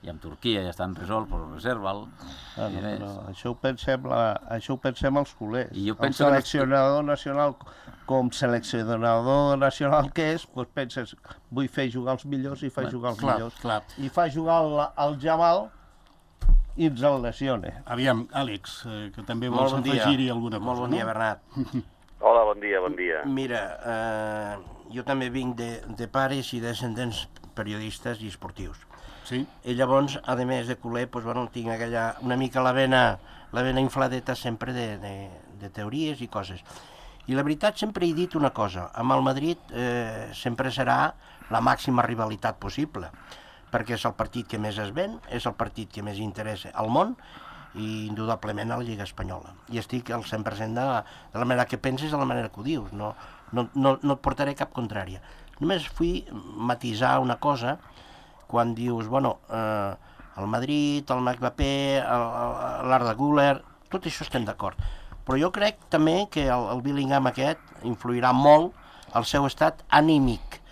S4: i amb Turquia, ja estan resolts, però reserva'l.
S6: Però això ho pensem els culers. El seleccionador nacional, com seleccionador nacional que és, penses, vull fer jugar els millors i fa jugar els millors. I fa jugar el Jamal i ens el lesiona.
S3: Aviam, Àlex, que també vols afegir-hi alguna cosa.
S7: Molt bon dia, Bernat.
S8: Hola, bon dia.
S7: Mira, jo també vinc de pares i descendents periodistes i esportius.
S3: Sí.
S7: I llavors, a més de culer, tinc una mica la vena infladeta sempre de teories i coses. I la veritat, sempre he dit una cosa, amb el Madrid sempre serà la màxima rivalitat possible, perquè és el partit que més es ven, és el partit que més interessa al món, i indudablement a la Lliga Espanyola. I estic al 100% de la manera que penses, de la manera que ho dius. No et portaré cap contrària. Només vull matisar una cosa quan dius, el Madrid, el Mbappé, l'Arda Güler, tot això estem d'acord. Però jo crec també que el Bellingham aquest influirà molt al seu estat anímic,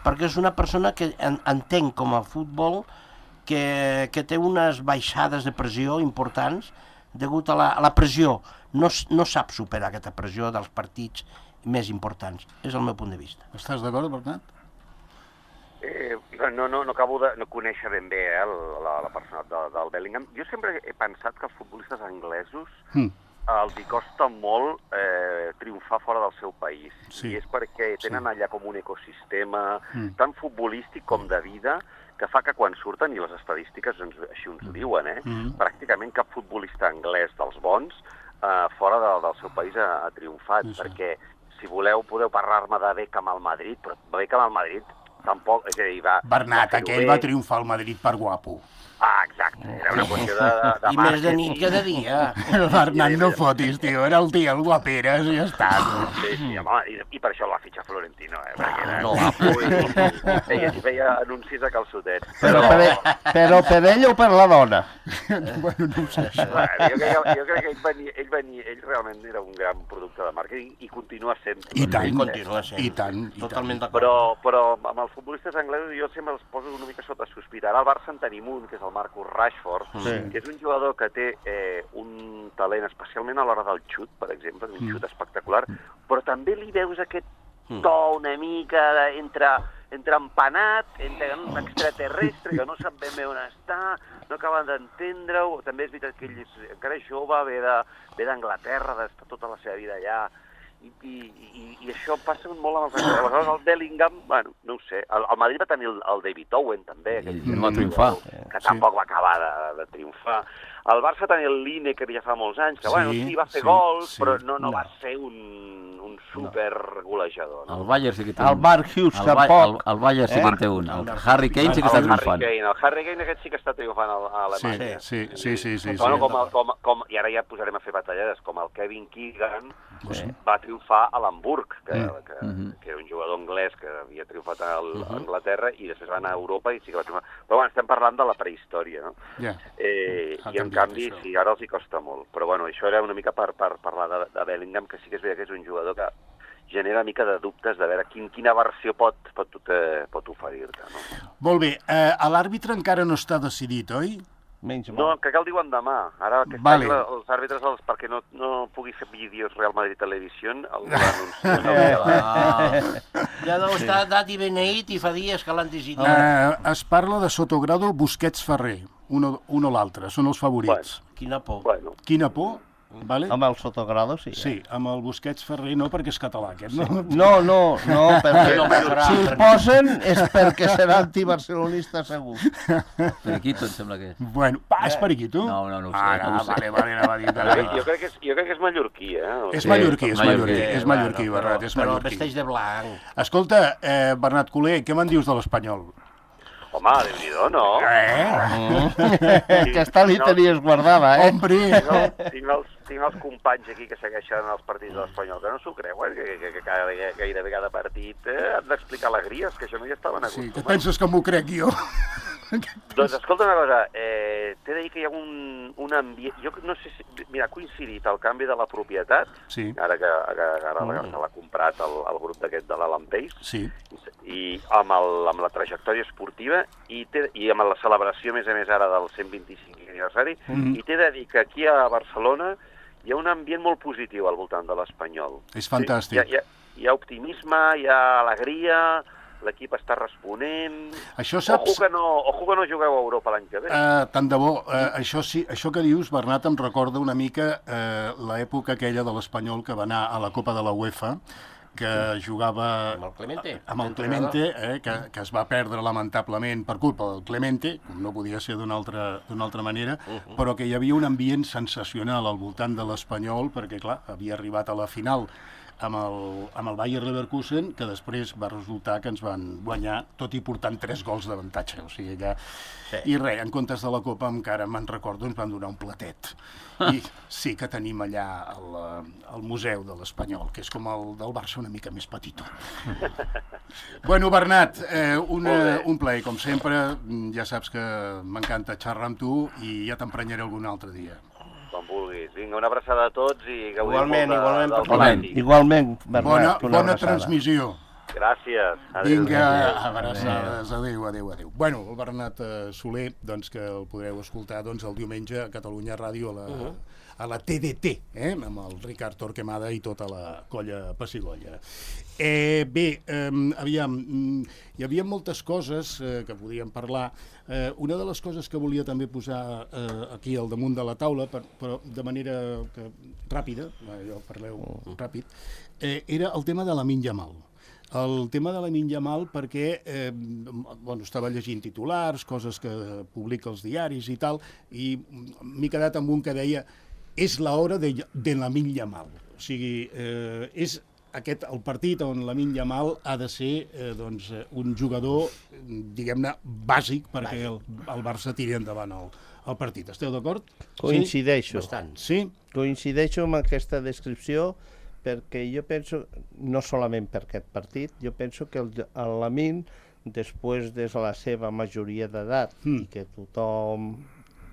S7: perquè és una persona que entén com a futbol que té unes baixades de pressió importants degut a la pressió. No sap superar aquesta pressió dels partits més importants. És el meu punt de vista.
S3: Estàs d'acord, Bernat?
S8: No acabo de conèixer ben bé la persona del Bellingham. Jo sempre he pensat que els futbolistes anglesos els hi costa molt triomfar fora del seu país.
S3: Sí.
S8: I és perquè tenen allà com un ecosistema tant futbolístic com de vida que fa que quan surten, i les estadístiques així ens ho diuen, pràcticament cap futbolista anglès dels bons fora del seu país ha triomfat, perquè si voleu podeu parlar-me de Beckham al Madrid, però Beckham al Madrid tampoc, és a dir,
S3: Bernat, aquell va triomfar al Madrid per guapo.
S8: Ah, exacte, era una qüestió de
S7: I més de nit que de dia.
S3: El Bernat no fotis, tio, era el tio, el guaperes, i ja està.
S8: Sí, home, i per això el va fitxar Florentino, perquè era guapo i es feia anuncis a calçotets.
S6: Però per ell o per la dona?
S3: Bueno, no ho sé, això.
S8: Jo crec que ell realment era un gran producte de màrqueting i continua sent.
S3: I tant,
S7: continua sent.
S3: i tant.
S7: Totalment d'acord.
S8: Però amb els futbolistes anglesos jo sempre els poso una mica sota sospita. Ara al Barça en tenim un, que és el Marcus Rashford, que és un jugador que té un talent, especialment a l'hora del xut, per exemple, un xut espectacular, però també li veus aquest to una mica entre empanat, entre un extraterrestre que no sap ben bé on està, no acaben d'entendre-ho. També és veritat que ell encara és jove, ve d'Anglaterra, d'estar tota la seva vida allà, i això passa molt amb els anglesos. Aleshores, el Bellingham, bueno, no ho sé. El Madrid va tenir el David Owen, també,
S4: I no va triomfar.
S8: Que tampoc va acabar de triomfar. El Barça tenia el Lineker ja fa molts anys, que bueno, sí, va fer gols, però no va ser un super golejador. No?
S4: El Bayern sí que té
S6: un. El Mark Hughes tampoc.
S4: El Bayern sí que en té un. El Harry Kane sí que està triomfant.
S8: El Harry Kane aquest sí que està triomfant a Alemanya.
S3: Sí.
S8: Bueno, i ara ja posarem a fer batallades, com el Kevin Keegan va triomfar a l'Hamburg, que era un jugador anglès que havia triomfat a Anglaterra i després va anar a Europa i sí que va triomfar. Però bueno, estem parlant de la prehistòria, no? I en canvi, sí, ara els hi costa molt. Però bueno, això era una mica per parlar de Bellingham, que sí que és veritat que és un jugador que genera una mica de dubtes de veure quina versió pot oferir-te. No?
S3: Molt bé, l'àrbitre encara no està decidit, oi?
S8: No, crec que el diuen demà. Ara que els àrbitres, perquè no pugui fer vídeos Real Madrid Televisió, el
S7: ja deu estar dat i beneït i fa dies que l'han decidit.
S3: Es parla de Sotogrado, Busquets, Ferrer, un o l'altre, són els favorits.
S7: Quina por.
S3: Quina por? Vale?
S6: Amb el Sotogrado, sí.
S3: Sí, amb el Busquets Ferrer no, perquè és català, aquest,
S6: no? No, perquè si el posen és perquè serà antibarcelonista segur.
S4: Periquito, em sembla que és.
S3: Bueno, és Periquito?
S4: No ho sé.
S3: Vale.
S8: Jo crec que és mallorquí,
S3: És mallorquí, Bernat, és
S7: però
S3: mallorquí.
S7: vesteix de blanc.
S3: Escolta, Bernat Culer, què me'n dius de l'Espanyol?
S8: Home, Déu-n'hi-do, no?
S6: Aquesta li tenies guardada,
S3: Hombre!
S8: Tinc els companys aquí que segueixen els partits de l'Espanyol, que no s'ho creuen, que gairebé cada partit han d'explicar alegries, que això no hi estaven acostumats.
S3: Sí, que penses que m'ho crec jo?
S8: Doncs escolta una cosa, t'he de dir que hi ha un ambient... Jo no sé si... Mira, ha coincidit el canvi de la propietat, ara que l'ha comprat el grup d'aquest de l'Alan Pace, i amb la trajectòria esportiva i amb la celebració, a més ara, del 125 aniversari, i t'he de dir que aquí a Barcelona hi ha un ambient molt positiu al voltant de l'Espanyol.
S3: És fantàstic.
S8: Hi ha optimisme, hi ha alegria, l'equip està responent...
S3: Això saps...
S8: Ojo que no jugueu a Europa l'any que ve.
S3: Tant de bo. Això que dius, Bernat, em recorda una mica l'època aquella de l'Espanyol que va anar a la Copa de la UEFA, que jugava amb el Clemente, que es va perdre lamentablement per culpa del Clemente, no podia ser d'una altra manera, però que hi havia un ambient sensacional al voltant de l'Espanyol, perquè, clar, havia arribat a la final amb el Bayer Leverkusen, que després va resultar que ens van guanyar, tot i portant 3 gols d'avantatge. O sigui, allà... I res, en comptes de la Copa, encara me'n recordo, ens van donar un platet. I sí que tenim allà el Museu de l'Espanyol, que és com el del Barça una mica més petitó. Bueno, Bernat, un plaer, com sempre. Ja saps que m'encanta xerrar amb tu i ja t'emprenyaré algun altre dia.
S8: Com vulguis. Vinga, una abraçada a tots i gaudim
S7: Igualment,
S8: molt del
S6: Igualment, Bernat.
S3: Bona transmissió.
S8: Gràcies.
S3: Vinga, abraçades. Adéu. Bueno, el Bernat Soler, doncs, que el podreu escoltar el diumenge a Catalunya Ràdio a la TDT, amb el Ricard Torquemada i tota la colla Pessigolles. Bé, aviam, hi havia moltes coses que podíem parlar. Una de les coses que volia també posar aquí al damunt de la taula, però de manera ràpida, jo parleu ràpid, era el tema de Lamine Yamal. El tema de Lamine Yamal perquè estava llegint titulars, coses que publica els diaris i tal, i m'he quedat amb un que deia és l'hora de Lamine Yamal. O sigui, és aquest el partit on Lamine Yamal ha de ser un jugador, diguem-ne, bàsic perquè el Barça tiri endavant el partit. Esteu d'acord?
S6: Coincideixo.
S7: Bastant.
S3: Sí?
S6: Coincideixo amb aquesta descripció perquè jo penso, no solament per aquest partit, jo penso que el Lamine, després de la seva majoria d'edat, i que tothom,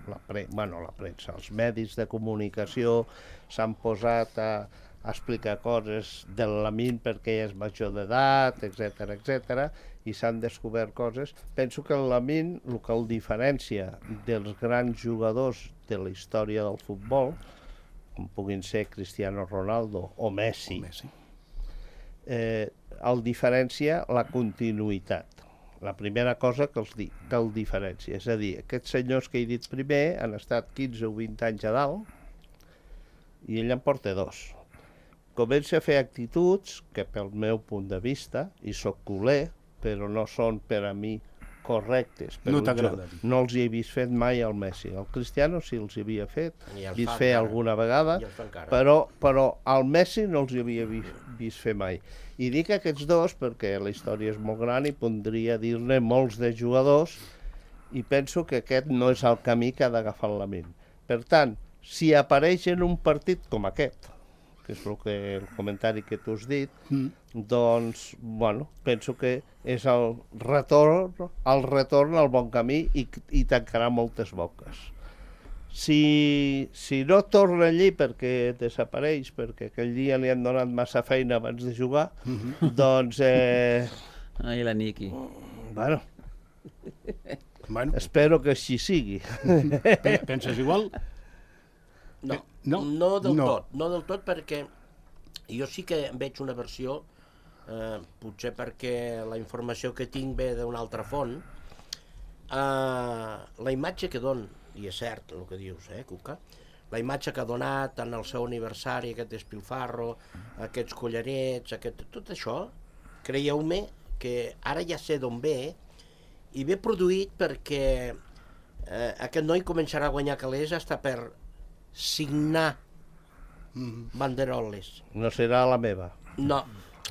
S6: la premsa, els medis de comunicació s'han posat a explicar coses del Lamine perquè és major d'edat, etc, i s'han descobert coses. Penso que el Lamine, el que el diferencia dels grans jugadors de la història del futbol, com puguin ser Cristiano Ronaldo o Messi, el diferencia la continuïtat. La primera cosa que el diferencia. És a dir, aquests senyors que he dit primer han estat 15 o 20 anys a dalt i ell en porta 2. Comença a fer actituds que, pel meu punt de vista, i soc culer, però no són per a mi correctes.
S3: No t'agrada.
S6: No els hi he vist fet mai al Messi. El Cristiano sí els hi havia vist fer alguna vegada, però al Messi no els hi havia vist fer mai. I dic aquests dos perquè la història és molt gran i podria dir-ne molts de jugadors i penso que aquest no és el camí que ha d'agafar el Lamine. Per tant, si apareix en un partit com aquest, que és el comentari que tu has dit, doncs, penso que és el retorn al bon camí i tancarà moltes boques. Si no torna allí perquè desapareix, perquè aquell dia li han donat massa feina abans de jugar, doncs...
S4: Ai, la Niki.
S6: Bueno, espero que així sigui.
S3: Penses igual?
S7: No del tot, perquè jo sí que veig una versió, potser perquè la informació que tinc ve d'una altra font, la imatge que don, i és cert el que dius, Cuca, la imatge que ha donat en el seu aniversari, aquest despilfarro, aquests collarets, tot això, creieu-me que ara ja sé d'on ve, i ve produït perquè aquest noi començarà a guanyar calés hasta per signar banderoles.
S6: No serà la meva.
S7: No.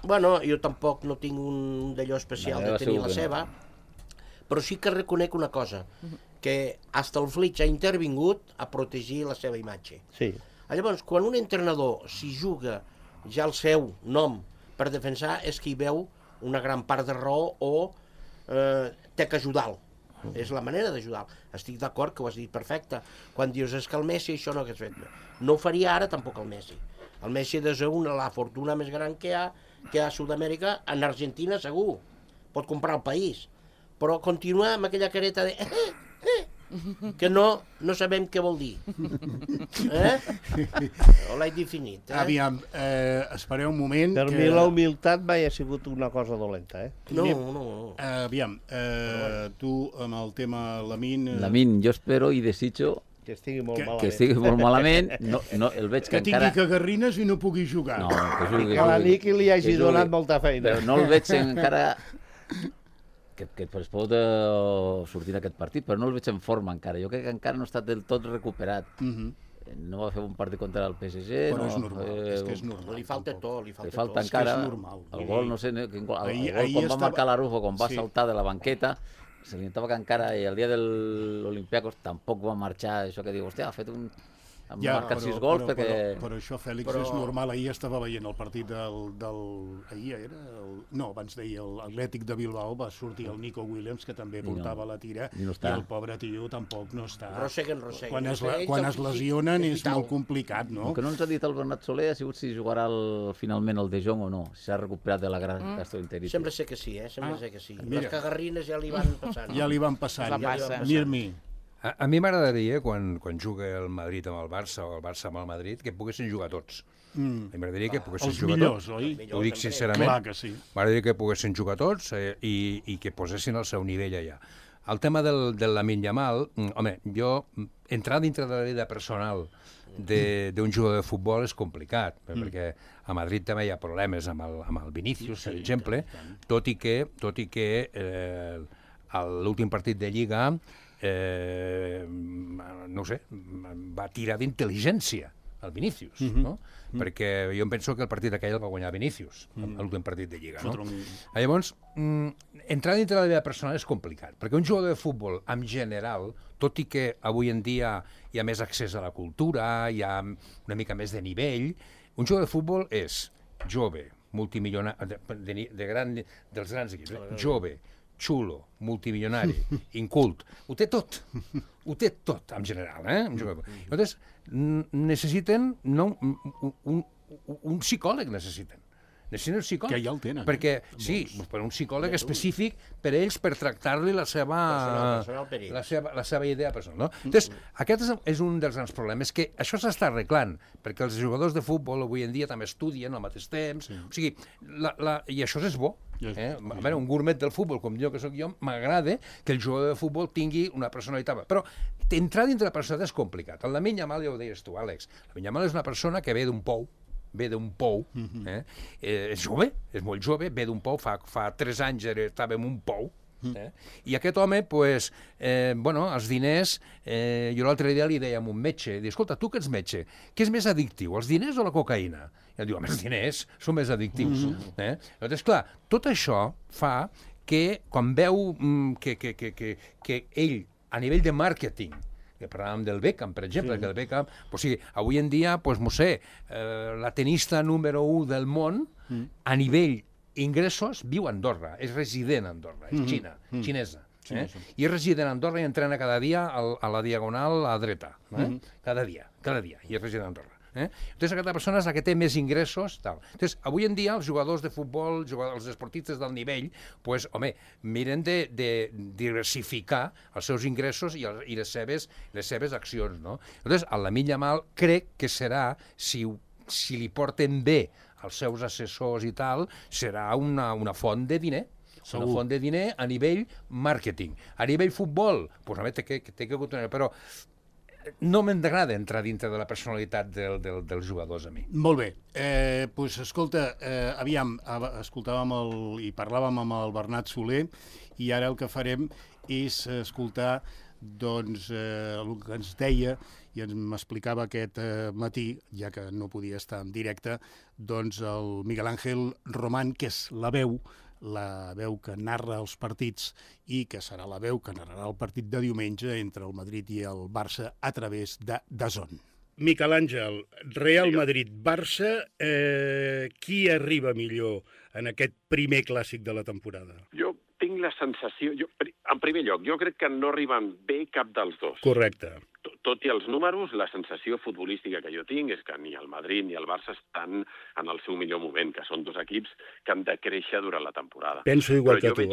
S7: Bueno, jo tampoc no tinc un d'allò especial de tenir la seva, però sí que reconec una cosa, que hasta el Flitch ha intervingut a protegir la seva imatge.
S6: Sí.
S7: Llavors, quan un entrenador s'hi juga ja el seu nom per defensar, és que hi veu una gran part de raó o té que ajudar-lo. És la manera d'ajudar-lo. Estic d'acord que ho has dit perfecte. Quan dius és que el Messi això no hagués fet. No ho faria ara tampoc el Messi. El Messi és la fortuna més gran que hi ha a Sud-amèrica, en Argentina segur. Pot comprar el país. Però continua amb aquella careta de... que no sabem què vol dir. O l'he definit.
S3: Aviam, espereu un moment.
S6: Per mi la humilitat mai ha sigut una cosa dolenta,
S7: No.
S3: Aviam, tu amb el tema Lamine...
S4: Lamine, jo espero i desitjo
S6: que estigui molt malament.
S4: Que estigui molt malament. No, el veig que encara...
S3: tingui cagarrines i no pugui jugar.
S4: No, que jugui.
S6: Que la Niki li hagi donat molta feina.
S4: Però no el veig encara... que es pot sortir d'aquest partit, però no el veig en forma encara. Jo crec que encara no ha estat del tot recuperat. No va fer un partit contra el PSG.
S3: Però és normal, és que és normal.
S7: Li falta tot, li
S4: falta encara el gol, no sé, el gol quan va marcar l'Arufo, quan va saltar de la banqueta, se li notava que encara, i el dia de l'Olympiacos tampoc va marxar, això que diu, hòstia, ha fet un han marcat 6 gols perquè...
S3: Però això, Fèlix, és normal. Ahir estava veient el partit ahir era... No, abans d'ahir, l'Atlètic de Bilbao va sortir el Nico Williams, que també portava la tira, i el pobre tio tampoc no està.
S7: Rosseguen.
S3: Quan es lesionen és molt complicat, no?
S4: El que no ens ha dit el Bernat Soler ha sigut si jugarà finalment el De Jong o no, si s'ha recuperat de la gran gastroenteritis.
S7: Sembla ser que sí, Sembla ser que sí. Les cagarrines ja li van passant.
S3: Ja li van passant. Mir-mi.
S5: A mi m'agradaria, quan juga el Madrid amb el Barça o el Barça amb el Madrid, que poguessin jugar tots. M'agradaria que poguessin jugar tots.
S3: Els millors, oi?
S5: Ho dic sincerament.
S3: Clar que sí.
S5: M'agradaria que poguessin jugar tots i que posessin el seu nivell allà. El tema del Lamine Yamal, home, jo, entrar dintre de la vida personal d'un jugador de futbol és complicat, perquè a Madrid també hi ha problemes amb el Vinícius, per exemple, tot i que l'últim partit de Lliga no sé, va tirar d'intel·ligència al Vinícius, no? Perquè jo em penso que el partit aquell el va guanyar Vinícius, l'últim partit de Lliga, no? Llavors, entrar dintre de la vida personal és complicat, perquè un jugador de futbol, en general, tot i que avui en dia hi ha més accés a la cultura, hi ha una mica més de nivell, un jugador de futbol és jove, multimilionari, dels grans equips, jove, xulo, multimilionari, incult, ho té tot, en general, Llavors, necessiten un psicòleg, necessiten un psicòleg.
S3: Que ja el tenen.
S5: Perquè, sí, per un psicòleg específic per ells, per tractar-li la seva idea personal. No? Entonces, aquest és un dels grans problemes, que això s'està arreglant, perquè els jugadors de futbol avui en dia també estudien al mateix temps, o sigui, i això és bo. A veure, un gourmet del futbol, com jo que sóc jo, m'agrada que el jugador de futbol tingui una personalitat. Però entrar dintre la personalitat és complicat. El Lamine Yamal, ja ho deies tu, Àlex, el Lamine Yamal és una persona que ve d'un pou, és jove, és molt jove, ve d'un pou, fa 3 anys estava en un pou, i aquest home, doncs, els diners, jo l'altre dia li deia a un metge, escolta, tu que ets metge, què és més addictiu, els diners o la cocaïna? I ell diu, home, els diners són més addictius. Llavors, clar, tot això fa que quan veu que ell, a nivell de màrqueting, que parlàvem del Beckham, per exemple, que el Beckham, o sigui, avui en dia, no sé, la tenista número 1 del món, a nivell ingressos, viu a Andorra, és resident a Andorra, és xinesa. I és resident a Andorra i entrena cada dia a la diagonal a la dreta. Cada dia, i és resident a Andorra. Entonces, aquesta persona és la que té més ingressos. Entonces, avui en dia, els jugadors de futbol, els esportistes del nivell, pues, home, miren de diversificar els seus ingressos i les seves accions, no? Entonces, el Lamine Yamal crec que serà, si li porten bé els seus assessors i tal, serà una font de diner. Una font de diner a nivell màrqueting. A nivell futbol, pues, home, té que continuar, però no m'agrada entrar dintre de la personalitat dels jugadors a mi.
S3: Molt bé. Doncs, escolta, aviam, escoltàvem i parlàvem amb el Bernat Soler i ara el que farem és escoltar doncs, el que ens deia i m'explicava aquest matí, ja que no podia estar en directe, doncs el Miguel Ángel Román, que és la veu que narra els partits i que serà la veu que narrarà el partit de diumenge entre el Madrid i el Barça a través de DAZN. Miquel Àngel, Real Madrid-Barça, qui arriba millor en aquest primer clàssic de la temporada?
S9: Jo tinc la sensació... En primer lloc, jo crec que no arriben bé cap dels dos.
S3: Correcte.
S9: Tot i els números, la sensació futbolística que jo tinc és que ni el Madrid ni el Barça estan en el seu millor moment, que són dos equips que han de créixer durant la temporada.
S3: Penso igual que tu,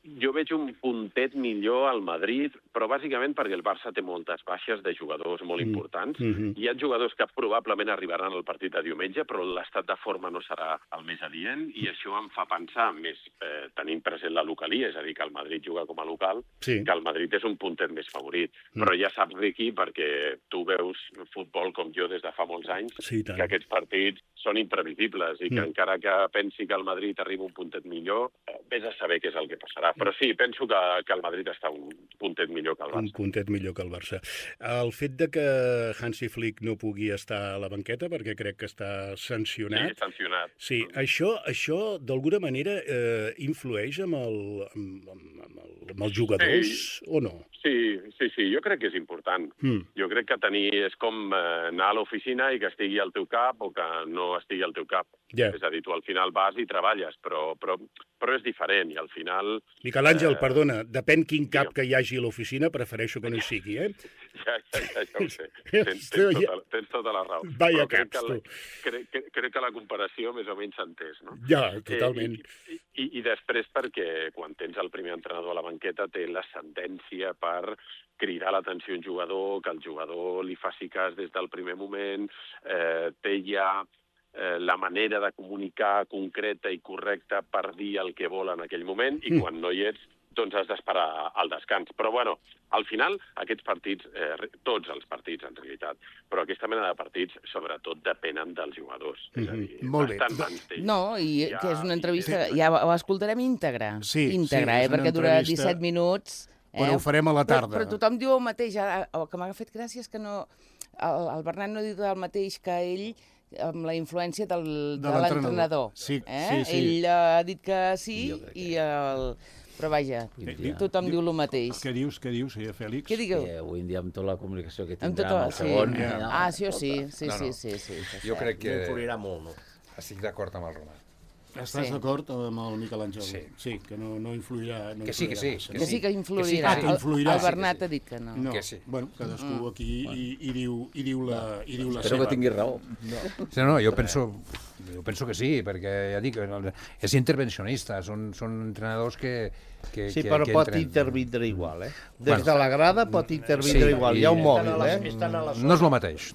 S9: Jo veig un puntet millor al Madrid, però bàsicament perquè el Barça té moltes baixes de jugadors molt importants. Hi ha jugadors que probablement arribaran al partit de diumenge, però l'estat de forma no serà el més adient, i això em fa pensar, més tenint present la localia, és a dir, que el Madrid juga com a local, que el Madrid és un puntet més favorit. Però ja saps, Riqui, perquè tu veus futbol com jo des de fa molts anys, que aquests partits són imprevisibles i que encara que pensi que el Madrid arriba un puntet millor, vés a saber què és el que passarà. Però sí, penso que el Madrid està un puntet millor que el Barça.
S3: Un puntet millor que el Barça. El fet de que Hansi Flick no pugui estar a la banqueta, perquè crec que està sancionat...
S9: Sí, sancionat.
S3: Sí, això d'alguna manera influeix amb els jugadors o no?
S9: Sí, jo crec que és important. Jo crec que és com anar a l'oficina i que estigui al teu cap o que no estigui al teu cap. És a dir, tu al final vas i treballes, però és diferent i al final...
S3: Miquel Àngel, perdona, depèn quin cap que hi hagi a l'oficina, prefereixo que no hi sigui, eh?
S9: Ja ho sé. Tens tota la raó.
S3: Vaya caps, tu.
S9: Crec que la comparació més o menys s'ha entès, no?
S3: Ja, totalment.
S9: I després perquè quan tens el primer entrenador a la banqueta té l'ascendència per cridar l'atenció a un jugador, que el jugador li faci cas des del primer moment, té ja la manera de comunicar concreta i correcta per dir el que vol en aquell moment i quan no hi ets, doncs has d'esperar al descans. Però, bueno, al final, aquests partits, tots els partits, en realitat, però aquesta mena de partits, sobretot, depenen dels jugadors. És a dir,
S3: molt bé.
S2: No, i que és una entrevista... Ja ho escoltarem íntegra.
S3: Sí,
S2: perquè dura 17 minuts.
S3: Però ho farem a la tarda.
S2: Però tothom diu el mateix. El que m'ha fet gràcia és que no... El Bernat no diu el mateix que ell amb la influència de l'entrenador.
S3: Sí.
S2: Ell ha dit que sí i el... Però vaja, tothom diu el mateix.
S3: Què dius, Fèlix?
S2: Què digueu?
S4: Avui en dia amb tota la comunicació que tindrà amb el segon...
S2: Sí.
S5: Jo crec que...
S7: Influirà molt, no?
S5: Estic d'acord amb el Roman.
S3: Estàs d'acord amb el Miquel Àngel?
S5: Sí,
S3: que no influirà...
S5: Que sí.
S2: Que sí que influirà. El Bernat ha dit que no.
S3: Que sí. Bueno, cadascú aquí hi diu la seva.
S4: Espero que tingui raó.
S5: No, jo penso que sí, perquè ja dic, és intervencionista, són entrenadors que
S6: sí, però pot intervindre igual, Des de la grada pot intervindre igual, hi ha un mòbil,
S5: No és el mateix,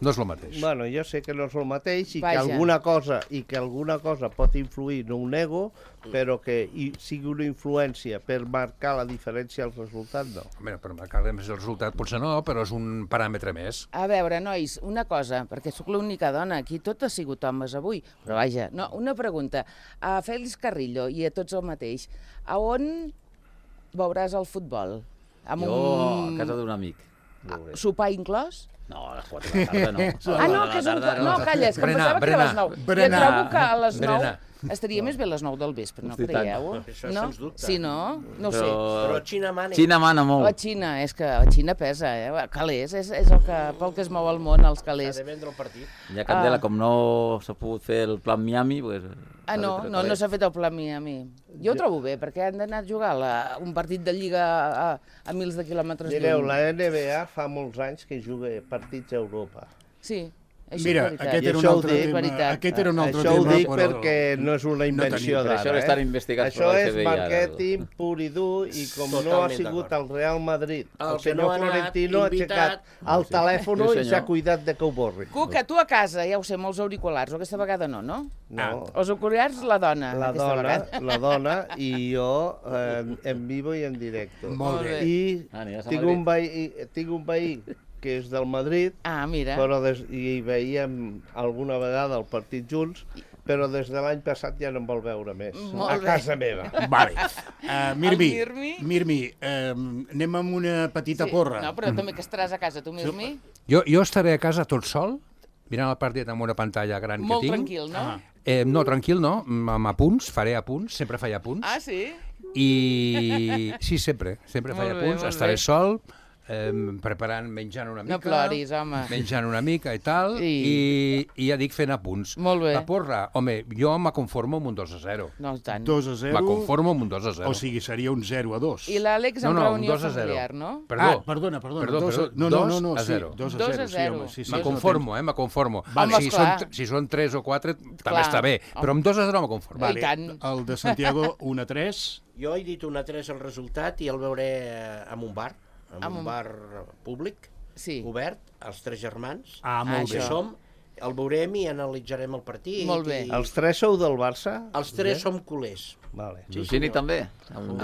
S6: Bueno, jo sé que no és el mateix i que alguna cosa pot influir, no ho nego, però que sigui una influència per marcar la diferència al resultat, no.
S5: Per marcar el resultat potser no, però és un paràmetre més.
S2: A veure, nois, una cosa, perquè sóc l'única dona, aquí tot ha sigut homes avui, però vaja, no, una pregunta. A Fèlix Carrillo i a tots el mateix, a on veuràs el futbol?
S4: A casa d'un amic.
S2: Sopar inclòs?
S4: No, a les 4 de la tarda no.
S2: No, que és un... No, calla, és que em pensava que era a les 9. Jo trobo que a les 9... Estaria més bé a les 9 del vespre, no creieu?
S7: Això sens dubte.
S2: Sí, no? No ho sé.
S7: Però Xina mana.
S4: Xina mana molt.
S2: La Xina, és que la Xina pesa, Calés, és el que, pel que es mou el món, els calés.
S7: S'ha de vendre el partit.
S4: Ja, Candela, com no s'ha pogut fer el plan Miami, pues...
S2: No s'ha fet el plan Miami. Jo ho trobo bé, perquè han d'anar a jugar un partit de Lliga a mils de quilòmetres lluny.
S6: Mireu, la NBA fa molts anys que juga partits a Europa.
S2: Sí.
S3: Mira, aquest era un altre tema.
S6: Això ho dic perquè no és una invenció d'ara.
S4: Això estan investigats per la
S6: Això és màrqueting pur i dur i com no ha sigut el Real Madrid, el senyor Florentino ha aixecat el telèfon i s'ha cuidat de que ho borri.
S2: Cuca, tu a casa, ja ho sé, molts auriculars, o aquesta vegada no? Els auriculars, la dona.
S6: La dona i jo en vivo i en directo.
S3: Molt bé.
S6: I tinc un veí que és del Madrid, però i veiem alguna vegada el partit junts, però des de l'any passat ja no em vol veure més. A casa meva.
S3: Vale. Mirmi, anem amb una petita porra.
S2: No, però també que estaràs a casa, tu, Mirmi.
S5: Jo estaré a casa tot sol, mirant el partit amb una pantalla gran que tinc.
S2: Molt tranquil, no?
S5: No, tranquil no, amb apunts, faré apunts, sempre faig apunts.
S2: Ah, sí?
S5: I sí, sempre faig apunts, estaré sol, preparant, menjant una mica.
S2: No ploris, home.
S5: Menjant una mica i tal, i ja dic fent apunts.
S2: Molt bé.
S5: La porra, home, jo me conformo amb un 2-0.
S2: No, tant.
S3: 2-0.
S5: Me conformo amb un 2-0.
S3: O sigui, seria un 0-2.
S2: I l'Àlex amb reunió familiar, no?
S5: Perdó.
S3: Perdona.
S5: No,
S3: 2-0.
S2: 2-0.
S5: Me conformo, me conformo. Si són 3 o 4, també està bé. Però amb 2-0 me conformo.
S2: I tant.
S3: El de Santiago, 1-3.
S7: Jo he dit 1-3 el resultat i el veuré en un bar. En un bar públic, obert, els tres germans, que som, el veurem i analitzarem el partit.
S2: Molt bé.
S6: Els tres sou del Barça?
S7: Els tres som culers.
S4: L'Eugeni també.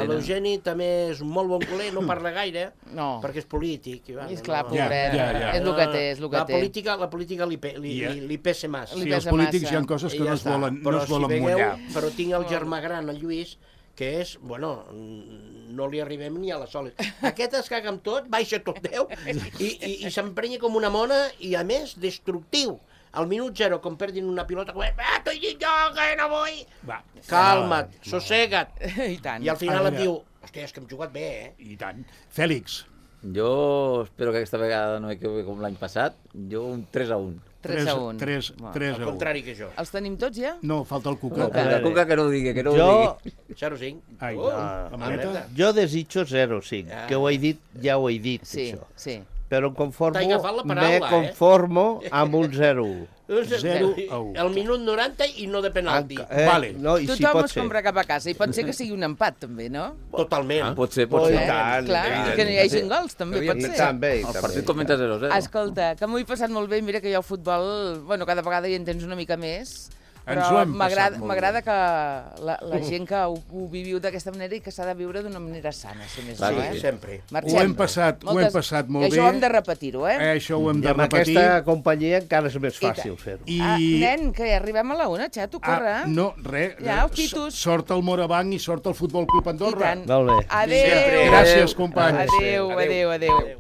S7: L'Eugeni també és un molt bon culer, no parla gaire, perquè és polític.
S2: És clar, pobret, és el que té, és el que té.
S7: La política li pesa massa.
S3: Sí, els polítics hi ha coses que no es volen mullar.
S7: Però tinc el germà gran, el Lluís, que és, bueno, no li arribem ni a la sola. Aquest es caga amb tot, baixa tot 10 i s'emprenya com una mona i, a més, destructiu. Al minut 0, quan perdin una pilota, t'ho he dit jo, que no vull! Calma't, sossega't.
S2: I tant.
S7: I al final em diu, hòstia, és que hem jugat bé,
S3: I tant. Fèlix.
S4: Jo espero que aquesta vegada no m'equivoqui com l'any passat. Jo un 3-1.
S2: 3-1.
S3: 3-1.
S7: al contrari que jo.
S2: Els tenim tots ja?
S3: No, falta el Cuca.
S4: La Cuca que no ho digui, que no ho
S6: Jo,
S4: digui.
S7: 0-5.
S3: Ai,
S7: la
S3: maleta.
S6: jo desitjo 0-5, que ho he dit, ja ho he dit,
S2: Sí,
S6: això.
S2: sí.
S6: Però em conformo,
S7: T'he agafat la
S6: me
S7: paraula,
S6: conformo amb un 0-1.
S3: 0-1.
S7: El minut 90 i no de penalti.
S3: Vale.
S6: No, i si
S2: Tothom
S6: pot
S2: es
S6: ser.
S2: compra cap a casa i pot ser que sigui un empat, també, no?
S7: Totalment.
S4: Pot ser,
S6: Oh,
S4: pot
S6: i
S4: ser.
S6: tant,
S2: Clar,
S6: evident.
S2: que no hi hagin gols, també pot ser.
S6: També,
S4: El
S6: també.
S4: partit comença 0-0.
S2: Escolta, que m'ho he passat molt bé, mira que jo al futbol, bueno, cada vegada hi entens una mica més,
S3: Ens ho
S2: però
S3: hem passat molt
S2: m'agrada que la gent que ho viviu d'aquesta manera i que s'ha de viure d'una manera sana, si més
S4: Clar
S2: no,
S4: que
S7: Sí,
S4: sí.
S7: sempre.
S2: Marxem.
S3: Ho hem passat molt
S2: I
S3: bé.
S2: això ho hem de repetir-ho,
S3: Això ho hem
S6: I
S3: de
S6: amb
S3: repetir.
S6: aquesta companyia encara és més fàcil fer-ho.
S3: I...
S2: Nen, que arribem a la una, xato, corre.
S3: no, res.
S2: Ja, els pitos.
S3: Sort el Morabanc i sort el Futbol Club
S2: I
S3: Andorra.
S2: tant.
S6: Molt bé.
S2: Adéu.
S3: Gràcies, companys.
S2: Adéu, adéu, adéu.